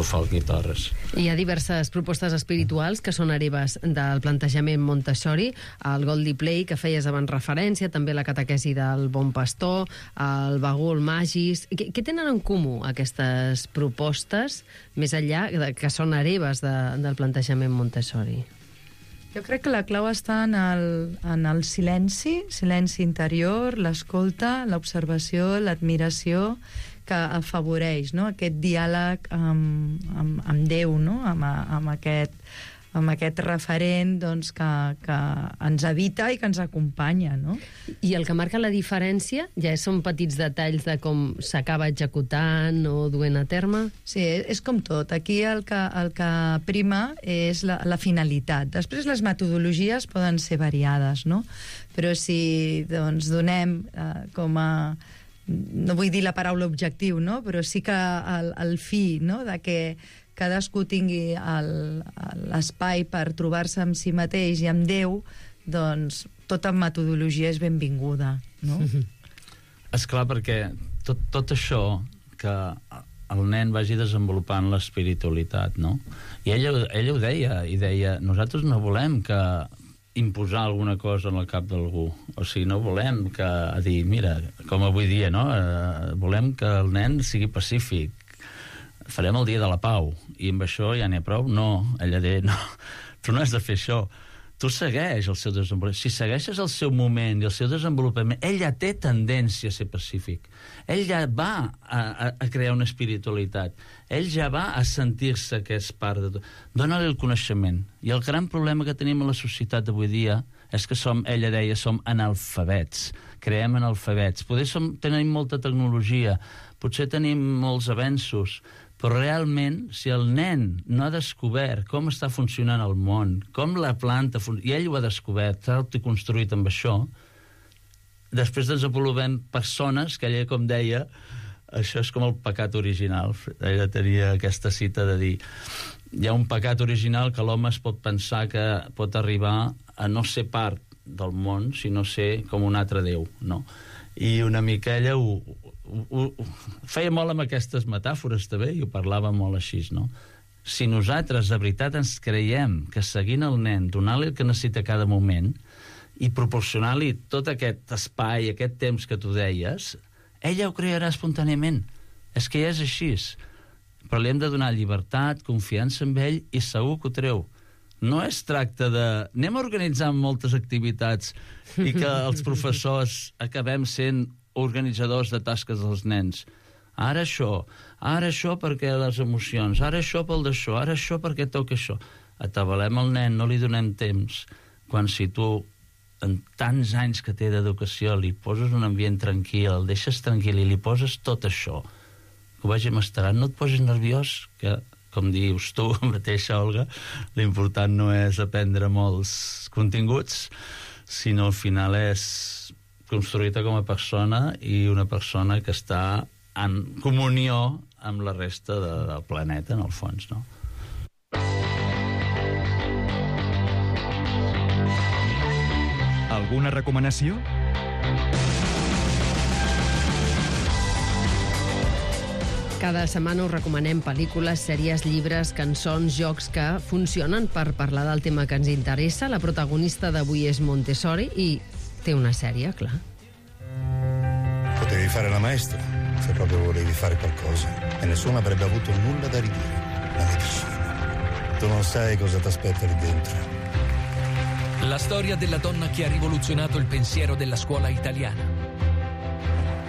Folch i Torres. Hi ha diverses propostes espirituals que són hereves del plantejament Montessori, el Goldie Play, que feies abans referència, també la catequesi del Bon Pastor, el Bagul Magis. Què tenen en comú aquestes propostes, més enllà que són hereves del plantejament Montessori? Jo crec que la clau està en el silenci interior, l'escolta, l'observació, l'admiració, que afavoreix, no?, aquest diàleg amb Déu, no?, amb aquest referent, doncs, que ens habita i que ens acompanya, no? I el que marca la diferència ja són petits detalls de com s'acaba executant o duent a terme? Sí, és com tot. Aquí el que prima és la finalitat. Després les metodologies poden ser variades, no? Però si doncs, donem com a... no vull dir la paraula objectiu, no?, però sí que el fi, no?, de que cadascú tingui l'espai per trobar-se amb si mateix i amb Déu, doncs tota metodologia és benvinguda, no? Esclar, perquè tot això que el nen vagi desenvolupant l'espiritualitat, no? I ella ho deia, i deia, nosaltres no volem que imposar alguna cosa en el cap d'algú. O sigui, no volem que dir, mira, com avui dia, no? Volem que el nen sigui pacífic. Farem el dia de la pau, i amb això ja n'hi ha prou? No, ella deia, no, tu no has de fer això. Tu segueix el seu desenvolupament. Si segueixes el seu moment i el seu desenvolupament, ell ja té tendència a ser pacífic. Ell ja va a crear una espiritualitat. Ell ja va a sentir-se que és part de tot. Dóna-li el coneixement. I el gran problema que tenim a la societat d'avui dia és que ella deia, som analfabets. Creem analfabets. Potser tenim molta tecnologia, potser tenim molts avenços, però realment, si el nen no ha descobert com està funcionant el món, com la planta funciona, i ell ho ha descobert, s'ha autoconstruït amb això, després desenvolupem persones que ella, com deia, això és com el pecat original. Ella tenia aquesta cita de dir, hi ha un pecat original que l'home es pot pensar que pot arribar a no ser part del món, sinó ser com un altre déu, no? I una mica ella ho feia molt amb aquestes metàfores també, i ho parlava molt així, no? Si nosaltres de veritat ens creiem que seguint el nen, donar-li el que necessita a cada moment i proporcionar-li tot aquest espai, aquest temps que tu deies, ella ho crearà espontàniament. És que ja és així. Però li hem de donar llibertat, confiança en ell, i segur que ho treu. No es tracta de... anem a organitzar moltes activitats i que els professors acabem sent organitzadors de tasques dels nens. Ara això perquè les emocions, ara això pel d'això, ara això perquè toca això. Atabalem el nen, no li donem temps, quan si tu en tants anys que té d'educació li poses un ambient tranquil, el deixes tranquil i li poses tot això, que ho vagi masterant, no et posis nerviós, que, com dius tu mateixa, Olga, l'important no és aprendre molts continguts, sinó al final és construir-te com a persona i una persona que està en comunió amb la resta del planeta, en el fons, no? Alguna recomanació? Cada setmana us recomanem pel·lícules, sèries, llibres, cançons, jocs que funcionen per parlar del tema que ens interessa. La protagonista d'avui és Montessori i té una sèrie, clar. Potevi fare la maestra, se proprio volevi fare qualcosa, e nessuno avrebbe avuto nulla da ridire. La medicina. Tu non sai cosa ti aspetta lì dentro. La storia della donna che ha rivoluzionato il pensiero della scuola italiana.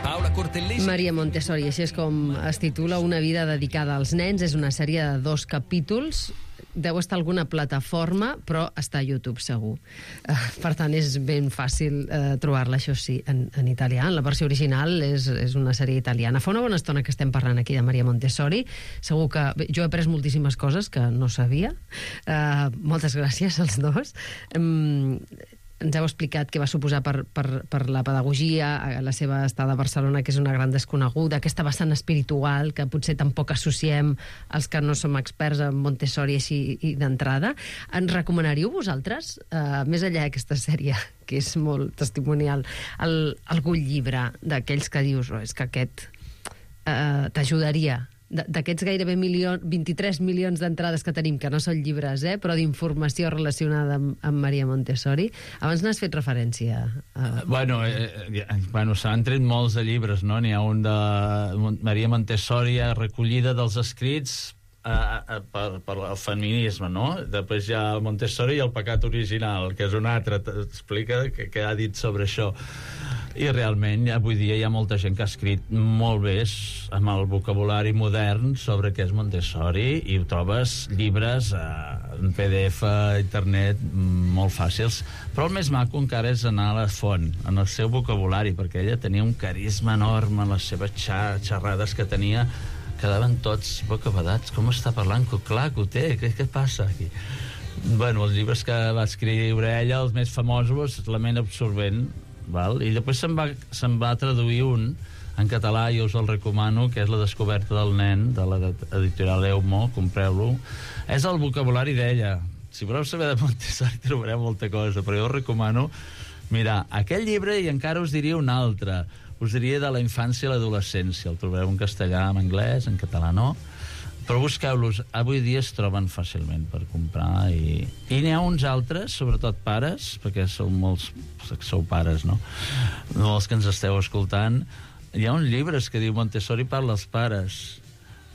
Paola Cortellesi... Maria Montessori, així és com es titula, Una vida dedicada als nens. És una sèrie de 2 capítols. Deu estar a alguna plataforma, però està a YouTube segur. Per tant, és ben fàcil trobar-la, això sí, en italià. La versió original és una sèrie italiana. Fa una bona estona que estem parlant aquí de Maria Montessori. Segur que jo he après moltíssimes coses que no sabia. Moltes gràcies als dos. Ens heu explicat què va suposar per la pedagogia, la seva estada a Barcelona, que és una gran desconeguda, aquesta vessant espiritual que potser tampoc associem els que no som experts en Montessori així d'entrada. Ens recomanaríeu vosaltres, més enllà d'aquesta sèrie, que és molt testimonial, algun llibre d'aquells que dius, és que aquest t'ajudaria? D'aquests gairebé 23 milions d'entrades que tenim, que no són llibres, però d'informació relacionada amb Maria Montessori. Abans n'has fet referència. Bueno, s'han tret molts de llibres, no? N'hi ha un de Maria Montessori, recollida dels escrits per el feminisme, no? Després hi ha Montessori i el pecat original, que és un altre, explica què ha dit sobre això. I realment avui dia hi ha molta gent que ha escrit molt bé amb el vocabulari modern sobre què és Montessori, i ho trobes llibres en PDF a internet molt fàcils, però el més maco encara és anar a la font, en el seu vocabulari, perquè ella tenia un carisma enorme en les seves xerrades que tenia, quedaven tots bocabadats. Com està parlant? Clar que ho té, què passa aquí? Bueno, els llibres que va escriure ella, els més famosos, La ment absorbent, val? I després se'n va traduir un en català, i us el recomano, que és La descoberta del nen, de l'editorial Eumo, compreu-lo. És el vocabulari d'ella. Si voleu saber de Montessori trobareu molta cosa, però jo us recomano mirar aquell llibre, i encara us diria un altre. Us diria de la infància i l'adolescència. El trobareu en castellà, en anglès, en català no. Però busqueu-los, avui dia es troben fàcilment per comprar, i n'hi ha uns altres, sobretot pares, perquè sou molts, sou pares, no? No els que ens esteu escoltant. Hi ha uns llibres que diu Montessori parla als pares,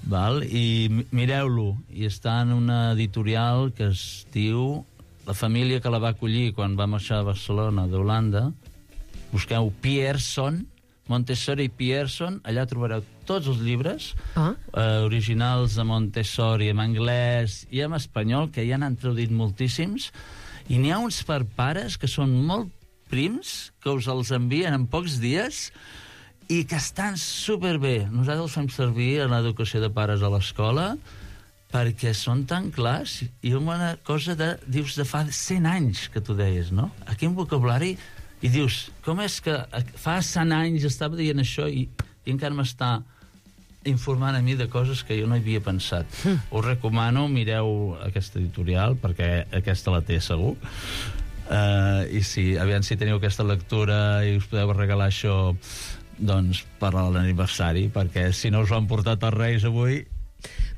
val? I mireu-lo, i està en una editorial que es diu La família que la va acollir quan va marxar a Barcelona d'Holanda. Busqueu Pierson, Montessori i Pierson, allà trobareu tots els llibres originals de Montessori en anglès i en espanyol, que ja n'han traduït moltíssims, i n'hi ha uns per pares que són molt prims, que us els envien en pocs dies i que estan superbé. Nosaltres els fem servir en l'educació de pares a l'escola perquè són tan clars, i una cosa dius, de fa 100 anys que tu deies, no? Aquí un vocabulari. I dius, com és que fa 100 anys estava dient això i encara m'està informant a mi de coses que jo no havia pensat. Us recomano, mireu aquesta editorial, perquè aquesta la té segur. I sí, aviam si teniu aquesta lectura i us podeu regalar això, doncs, per a l'aniversari, perquè si no us ho han portat els Reis avui...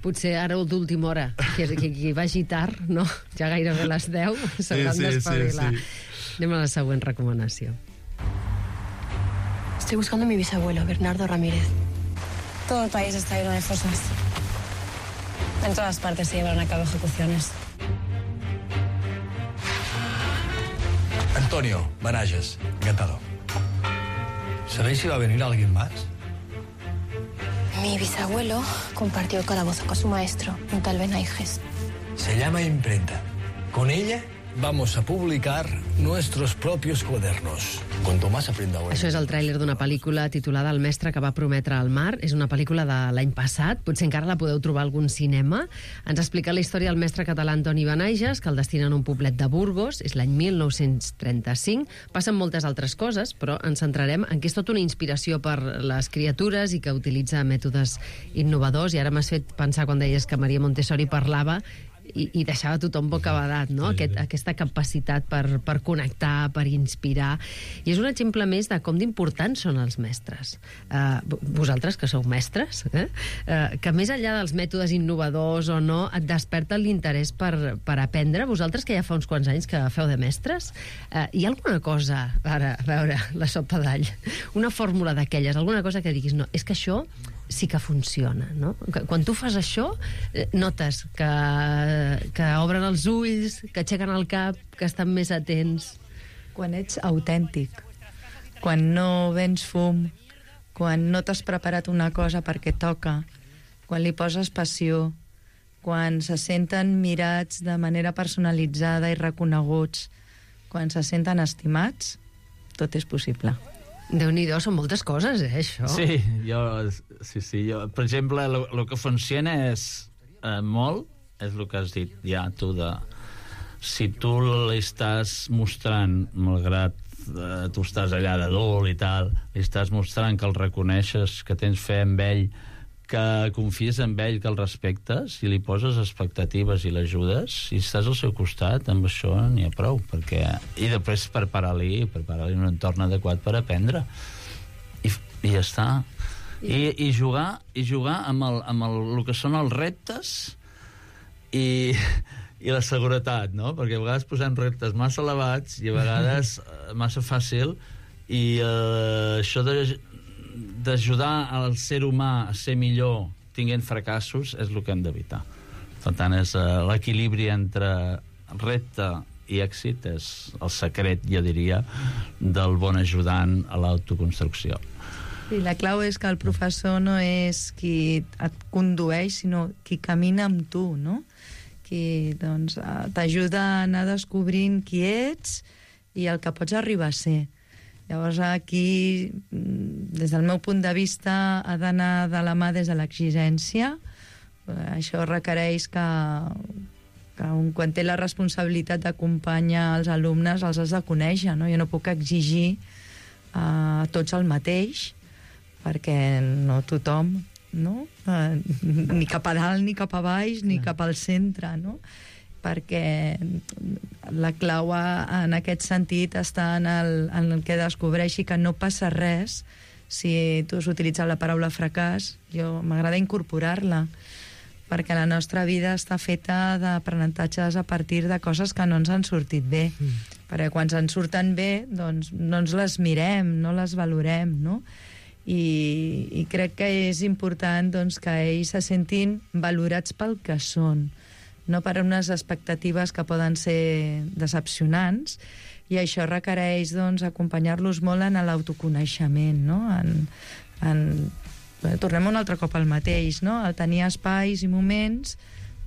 Potser ara d'última hora, que vagi tard, no? Ja gairebé les 10, s'hauran d'espavilar. Anem a la següent recomanació. Estoy buscando a mi bisabuelo, Bernardo Ramírez. Todo el país está lleno de fosas. En todas partes se llevan a cabo ejecuciones. Antonio Manages, encantado. ¿Sabéis si va a venir alguien más? Mi bisabuelo compartió el calabozo con su maestro, un tal Benaiges. Se llama imprenta. Con ella vamos a publicar nuestros propios cuadernos. Cuanto más aprenda hoy. Això és el tràiler d'una pel·lícula titulada El mestre que va prometre al mar. És una pel·lícula de l'any passat, potser encara la podeu trobar a algun cinema. Ens explica la història del mestre català Antoni Benaiges, que el destinen a un poblet de Burgos, és l'any 1935. Passen moltes altres coses, però ens centrarem en que és tota una inspiració per les criatures i que utilitza mètodes innovadors. I ara m'has fet pensar, quan deies que Maria Montessori parlava, i deixava tothom bocabadat, no? Aquesta capacitat per connectar, per inspirar. I és un exemple més de com d'importants són els mestres. Vosaltres, que sou mestres, que més enllà dels mètodes innovadors o no, et desperta l'interès per aprendre. Vosaltres, que ja fa uns quants anys que feu de mestres, hi ha alguna cosa, ara, a veure, la sopa d'all, una fórmula d'aquelles, alguna cosa que diguis, no, és que això sí que funciona, no? Quan tu fas això, notes que obren els ulls, que aixequen el cap, que estan més atents. Quan ets autèntic, quan no vens fum, quan no t'has preparat una cosa perquè toca, quan li poses passió, quan se senten mirats de manera personalitzada i reconeguts, quan se senten estimats, tot és possible. Déu-n'hi-do, són moltes coses, això. Sí, jo, per exemple, el que funciona és molt, és el que has dit ja tu, si tu l'estàs mostrant, malgrat tu estàs allà d'adult i tal, li estàs mostrant que el reconeixes, que tens fe en ell, que confies en ell, que el respectes, i li poses expectatives i l'ajudes, i estàs al seu costat, amb això n'hi ha prou, i després preparar-li un entorn adequat per aprendre, i ja està. I jugar amb el que són els reptes i la seguretat, no? Perquè a vegades posem reptes massa elevats i a vegades massa fàcil, i això d'ajudar al ser humà a ser millor tinguent fracassos és el que hem d'evitar. Per tant, és l'equilibri entre repte i èxit és el secret, jo diria, del bon ajudant a l'autoconstrucció. I la clau és que el professor no és qui et condueix, sinó qui camina amb tu, no? Qui doncs, t'ajuda a anar descobrint qui ets i el que pots arribar a ser. Llavors aquí, des del meu punt de vista, ha d'anar de la mà des de l'exigència. Això requereix que quan té la responsabilitat d'acompanyar els alumnes els has de conèixer, no? Jo no puc exigir a tots el mateix, perquè no tothom, no? Ni cap a dalt, ni cap a baix, ni cap al centre, no? Perquè la clau en aquest sentit està en el que descobreixi que no passa res si tu has utilitzat la paraula fracàs. Jo m'agrada incorporar-la, perquè la nostra vida està feta d'aprenentatges a partir de coses que no ens han sortit bé. Perquè quan ens surten bé, doncs no ens les mirem, no les valorem, no? I crec que és important doncs, que ells se sentin valorats pel que són, no per unes expectatives que poden ser decepcionants, i això requereix doncs, acompanyar-los molt en l'autoconeixement, no? Tornem un altre cop al mateix, no? A tenir espais i moments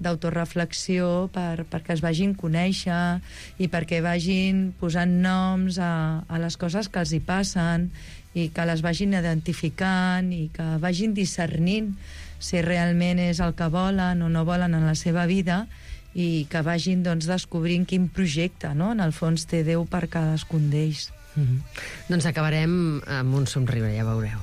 d'autoreflexió perquè es vagin conèixer i perquè vagin posant noms a les coses que els hi passen i que les vagin identificant i que vagin discernint si realment és el que volen o no volen en la seva vida, i que vagin doncs, descobrint quin projecte, no? En el fons té Déu per cadascun d'ells. Doncs acabarem amb un somriure, ja veureu.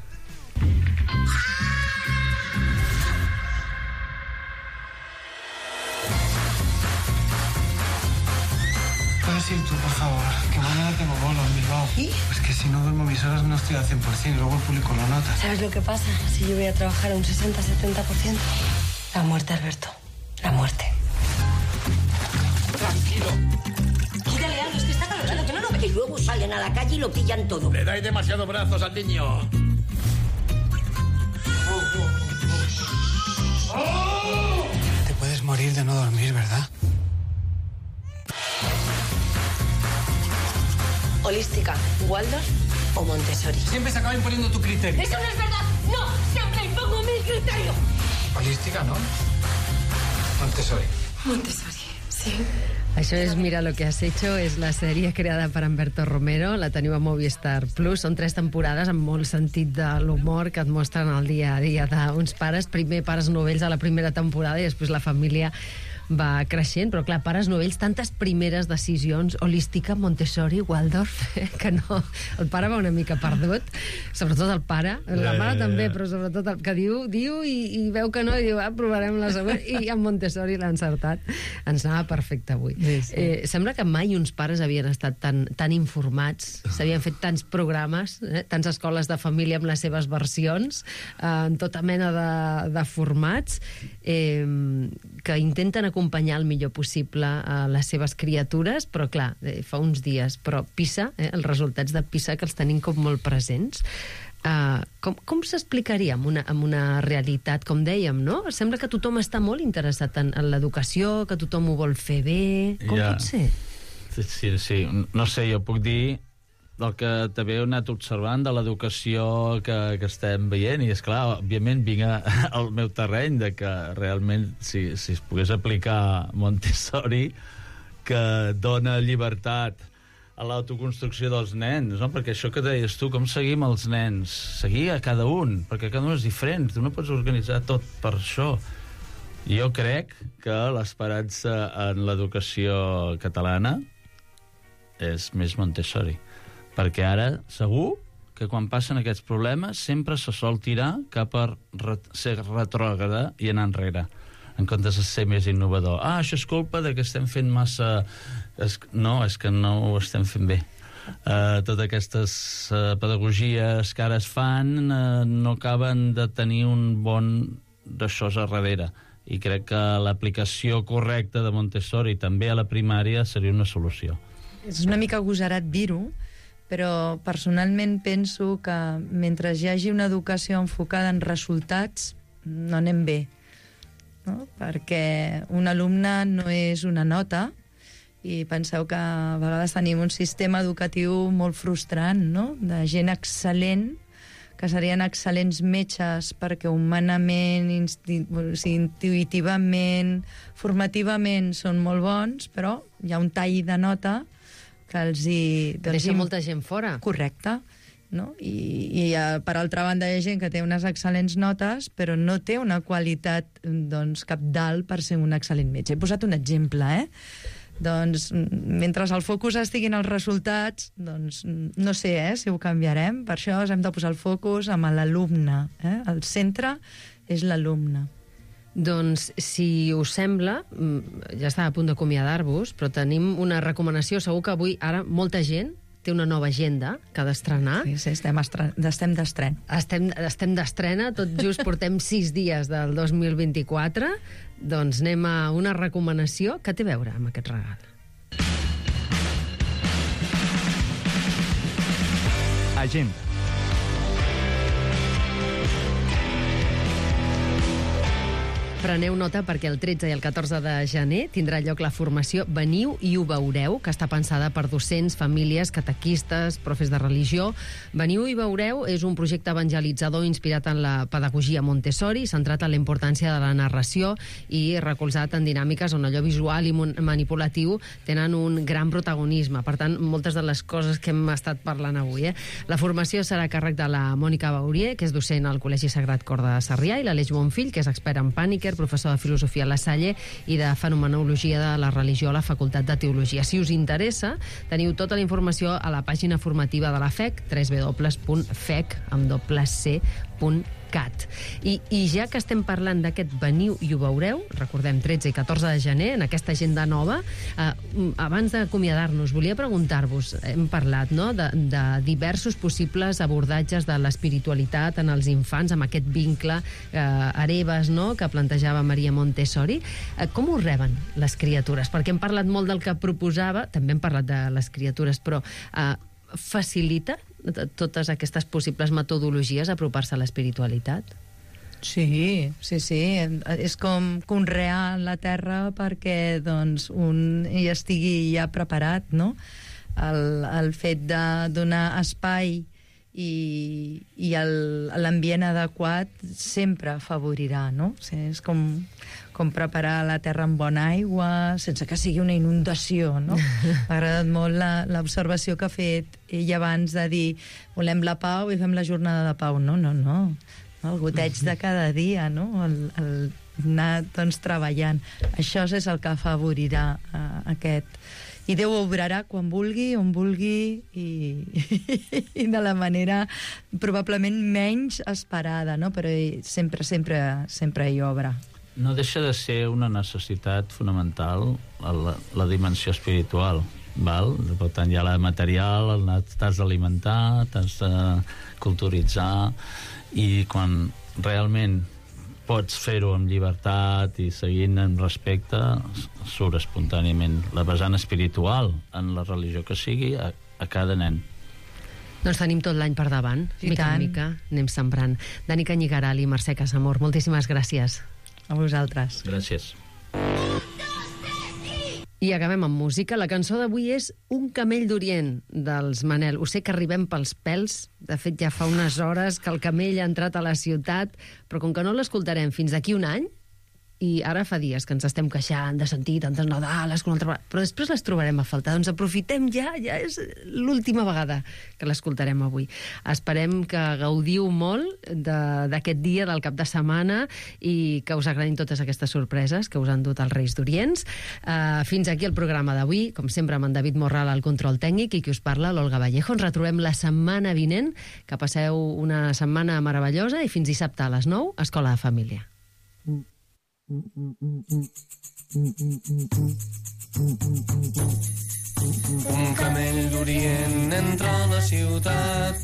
¿Puedes ir tú, por favor? Que mañana tengo bolo en Bilbao. ¿Y? Pues que si no duermo mis horas no estoy al 100%, luego el público lo nota. ¿Sabes lo que pasa? Si yo voy a trabajar un 60-70%. La muerte, Alberto. La muerte. Tranquilo. Quítale algo, es que está calorado, que no lo ve. Y luego salen a la calle y lo pillan todo. Le dais demasiados brazos al niño. Te puedes morir de no dormir, ¿verdad? Holística, Waldorf o Montessori. Siempre se acaba imponiendo tu criterio. ¡Eso no es verdad! ¡No! ¡Siempre impongo mi criterio! Holística, ¿no? Montessori. Montessori, sí. Això és Mira lo que has hecho, és la sèrie creada per Humberto Romero, la teniu a Movistar Plus. Són 3 temporades amb molt sentit de l'humor que et mostren el dia a dia d'uns pares, primer pares novells a la primera temporada i després la família va creixent, però clar, pares novells, tantes primeres decisions, holística, Montessori, Waldorf, que no, el pare va una mica perdut, sobretot el pare, la mare també, però sobretot el que diu i veu que no, i diu, provarem la següent, i amb Montessori l'ha encertat. Ens anava perfecte avui. Sí. Sembla que mai uns pares havien estat tan informats, s'havien fet tants programes, tants escoles de família amb les seves versions, en tota mena de formats, que intenten acompanyar el millor possible a les seves criatures, però clar, fa uns dies, però PISA, els resultats de PISA que els tenim com molt presents, com s'explicaria amb una realitat, com dèiem, no? Sembla que tothom està molt interessat en l'educació, que tothom ho vol fer bé, com pot ser? Sí, no sé, jo puc dir del que també he anat observant de l'educació que estem veient, i és clar, òbviament vinc al meu terreny de que realment si es pogués aplicar Montessori, que dona llibertat a l'autoconstrucció dels nens, no? Perquè això que deies tu, com seguim els nens? Seguir a cada un, perquè cada un és diferent, tu no pots organitzar tot per això. Jo crec que l'esperança en l'educació catalana és més Montessori, perquè ara segur que quan passen aquests problemes sempre se sol tirar cap a ser retrògrada i anar enrere, en comptes de ser més innovador. Això és culpa de que estem fent massa... No, és que no ho estem fent bé. Totes aquestes pedagogies que ara es fan no acaben de tenir un bon d'això a darrere, i crec que l'aplicació correcta de Montessori també a la primària seria una solució. És una mica agosarat dir-ho, però personalment penso que mentre hi hagi una educació enfocada en resultats no anem bé, no? Perquè un alumne no és una nota I penseu que a vegades tenim un sistema educatiu molt frustrant, no? De gent excel·lent, que serien excel·lents metges perquè humanament, intuïtivament, formativament són molt bons, però hi ha un tall de nota que els hi... Deixa molta gent fora. Correcte. No? I per altra banda hi ha gent que té unes excel·lents notes però no té una qualitat capdalt per ser un excel·lent metge. He posat un exemple, Doncs, mentre al focus estiguin els resultats, doncs, no sé si ho canviarem. Per això hem de posar el focus amb l'alumne. El centre és l'alumne. Doncs, si us sembla, ja està a punt d'acomiadar-vos, però tenim una recomanació. Segur que avui, ara, molta gent té una nova agenda que ha d'estrenar. Sí, estem d'estrena. Estem d'estrena, tot just portem 6 dies del 2024. Doncs anem a una recomanació que té a veure amb aquest regal. Agenda. Preneu nota perquè el 13 i el 14 de gener tindrà lloc la formació Veniu i ho veureu, que està pensada per docents, famílies, catequistes, profes de religió. Veniu i veureu és un projecte evangelitzador inspirat en la pedagogia Montessori, centrat en la importància de la narració i recolzat en dinàmiques on allò visual i manipulatiu tenen un gran protagonisme. Per tant, moltes de les coses que hem estat parlant avui. La formació serà a càrrec de la Mònica Baurier, que és docent al Col·legi Sagrat Cor de Sarrià, i l'Aleix Bonfill, que és expert en Pàniker, professor de Filosofia a la Salle i de Fenomenologia de la Religió a la Facultat de Teologia. Si us interessa, teniu tota la informació a la pàgina formativa de la FEC, www.fec.cat. I ja que estem parlant d'aquest Veniu i ho veureu, recordem 13 i 14 de gener, en aquesta agenda nova, abans d'acomiadar-nos, volia preguntar-vos, hem parlat de diversos possibles abordatges de l'espiritualitat en els infants, amb aquest vincle hereves que plantejava Maria Montessori. Com ho reben les criatures? Perquè hem parlat molt del que proposava, també hem parlat de les criatures, però facilita totes aquestes possibles metodologies apropar-se a l'espiritualitat? Sí. És com conrear la terra perquè un hi estigui ja preparat, no? El fet de donar espai i l'ambient adequat sempre afavorirà, no? És com preparar la terra amb bona aigua sense que sigui una inundació, no? M'ha agradat molt l'observació que ha fet ell abans de dir volem la pau i fem la jornada de pau. No. El goteig de cada dia, no? El anar treballant. Això és el que afavorirà aquest... I Déu obrarà quan vulgui, on vulgui i de la manera probablement menys esperada, no? Però sempre hi obra. No deixa de ser una necessitat fonamental la dimensió espiritual, val? Per tant, hi ha la material, t'has d'alimentar, t'has de culturitzar, i quan realment pots fer-ho amb llibertat i seguint amb respecte, surt espontàniament la vessant espiritual en la religió que sigui a cada nen. Doncs tenim tot l'any per davant, mica en mica anem sembrant. Dani Canyigaral i Mercè Casamor, moltíssimes gràcies. A vosaltres. Gràcies. I acabem amb música. La cançó d'avui és Un camell d'Orient, dels Manel. Ho sé que arribem pels pèls. De fet, ja fa unes hores que el camell ha entrat a la ciutat, però com que no l'escoltarem fins d'aquí un any, i ara fa dies que ens estem queixant de sentir tantes Nadales com una altra vegada, però després les trobarem a faltar. Doncs aprofitem ja és l'última vegada que l'escoltarem avui. Esperem que gaudiu molt d'aquest dia, del cap de setmana, i que us agradin totes aquestes sorpreses que us han dut els Reis d'Orients. Fins aquí el programa d'avui, com sempre amb en David Morral al control tècnic i qui us parla, l'Olga Vallejo. Ens retrobem la setmana vinent. Que passeu una setmana meravellosa i fins dissabte a les 9, Escola de Família. Un camell d'Orient entra a la ciutat,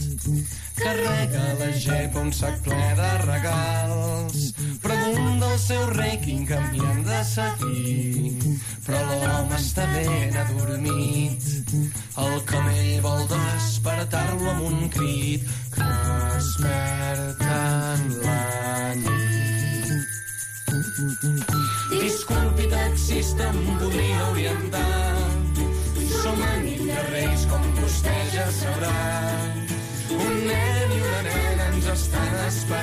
carrega la gepa un sac ple de regals, pregunta al seu rei quin camí hem de seguir, però l'home està ben adormit. El camell vol despertar-lo amb un crit que desperta en la nit. Disculpi, taxista, em podria orientar Som anit de reis, com vostè ja sabrà. Un nen i una nena ens estan esperant.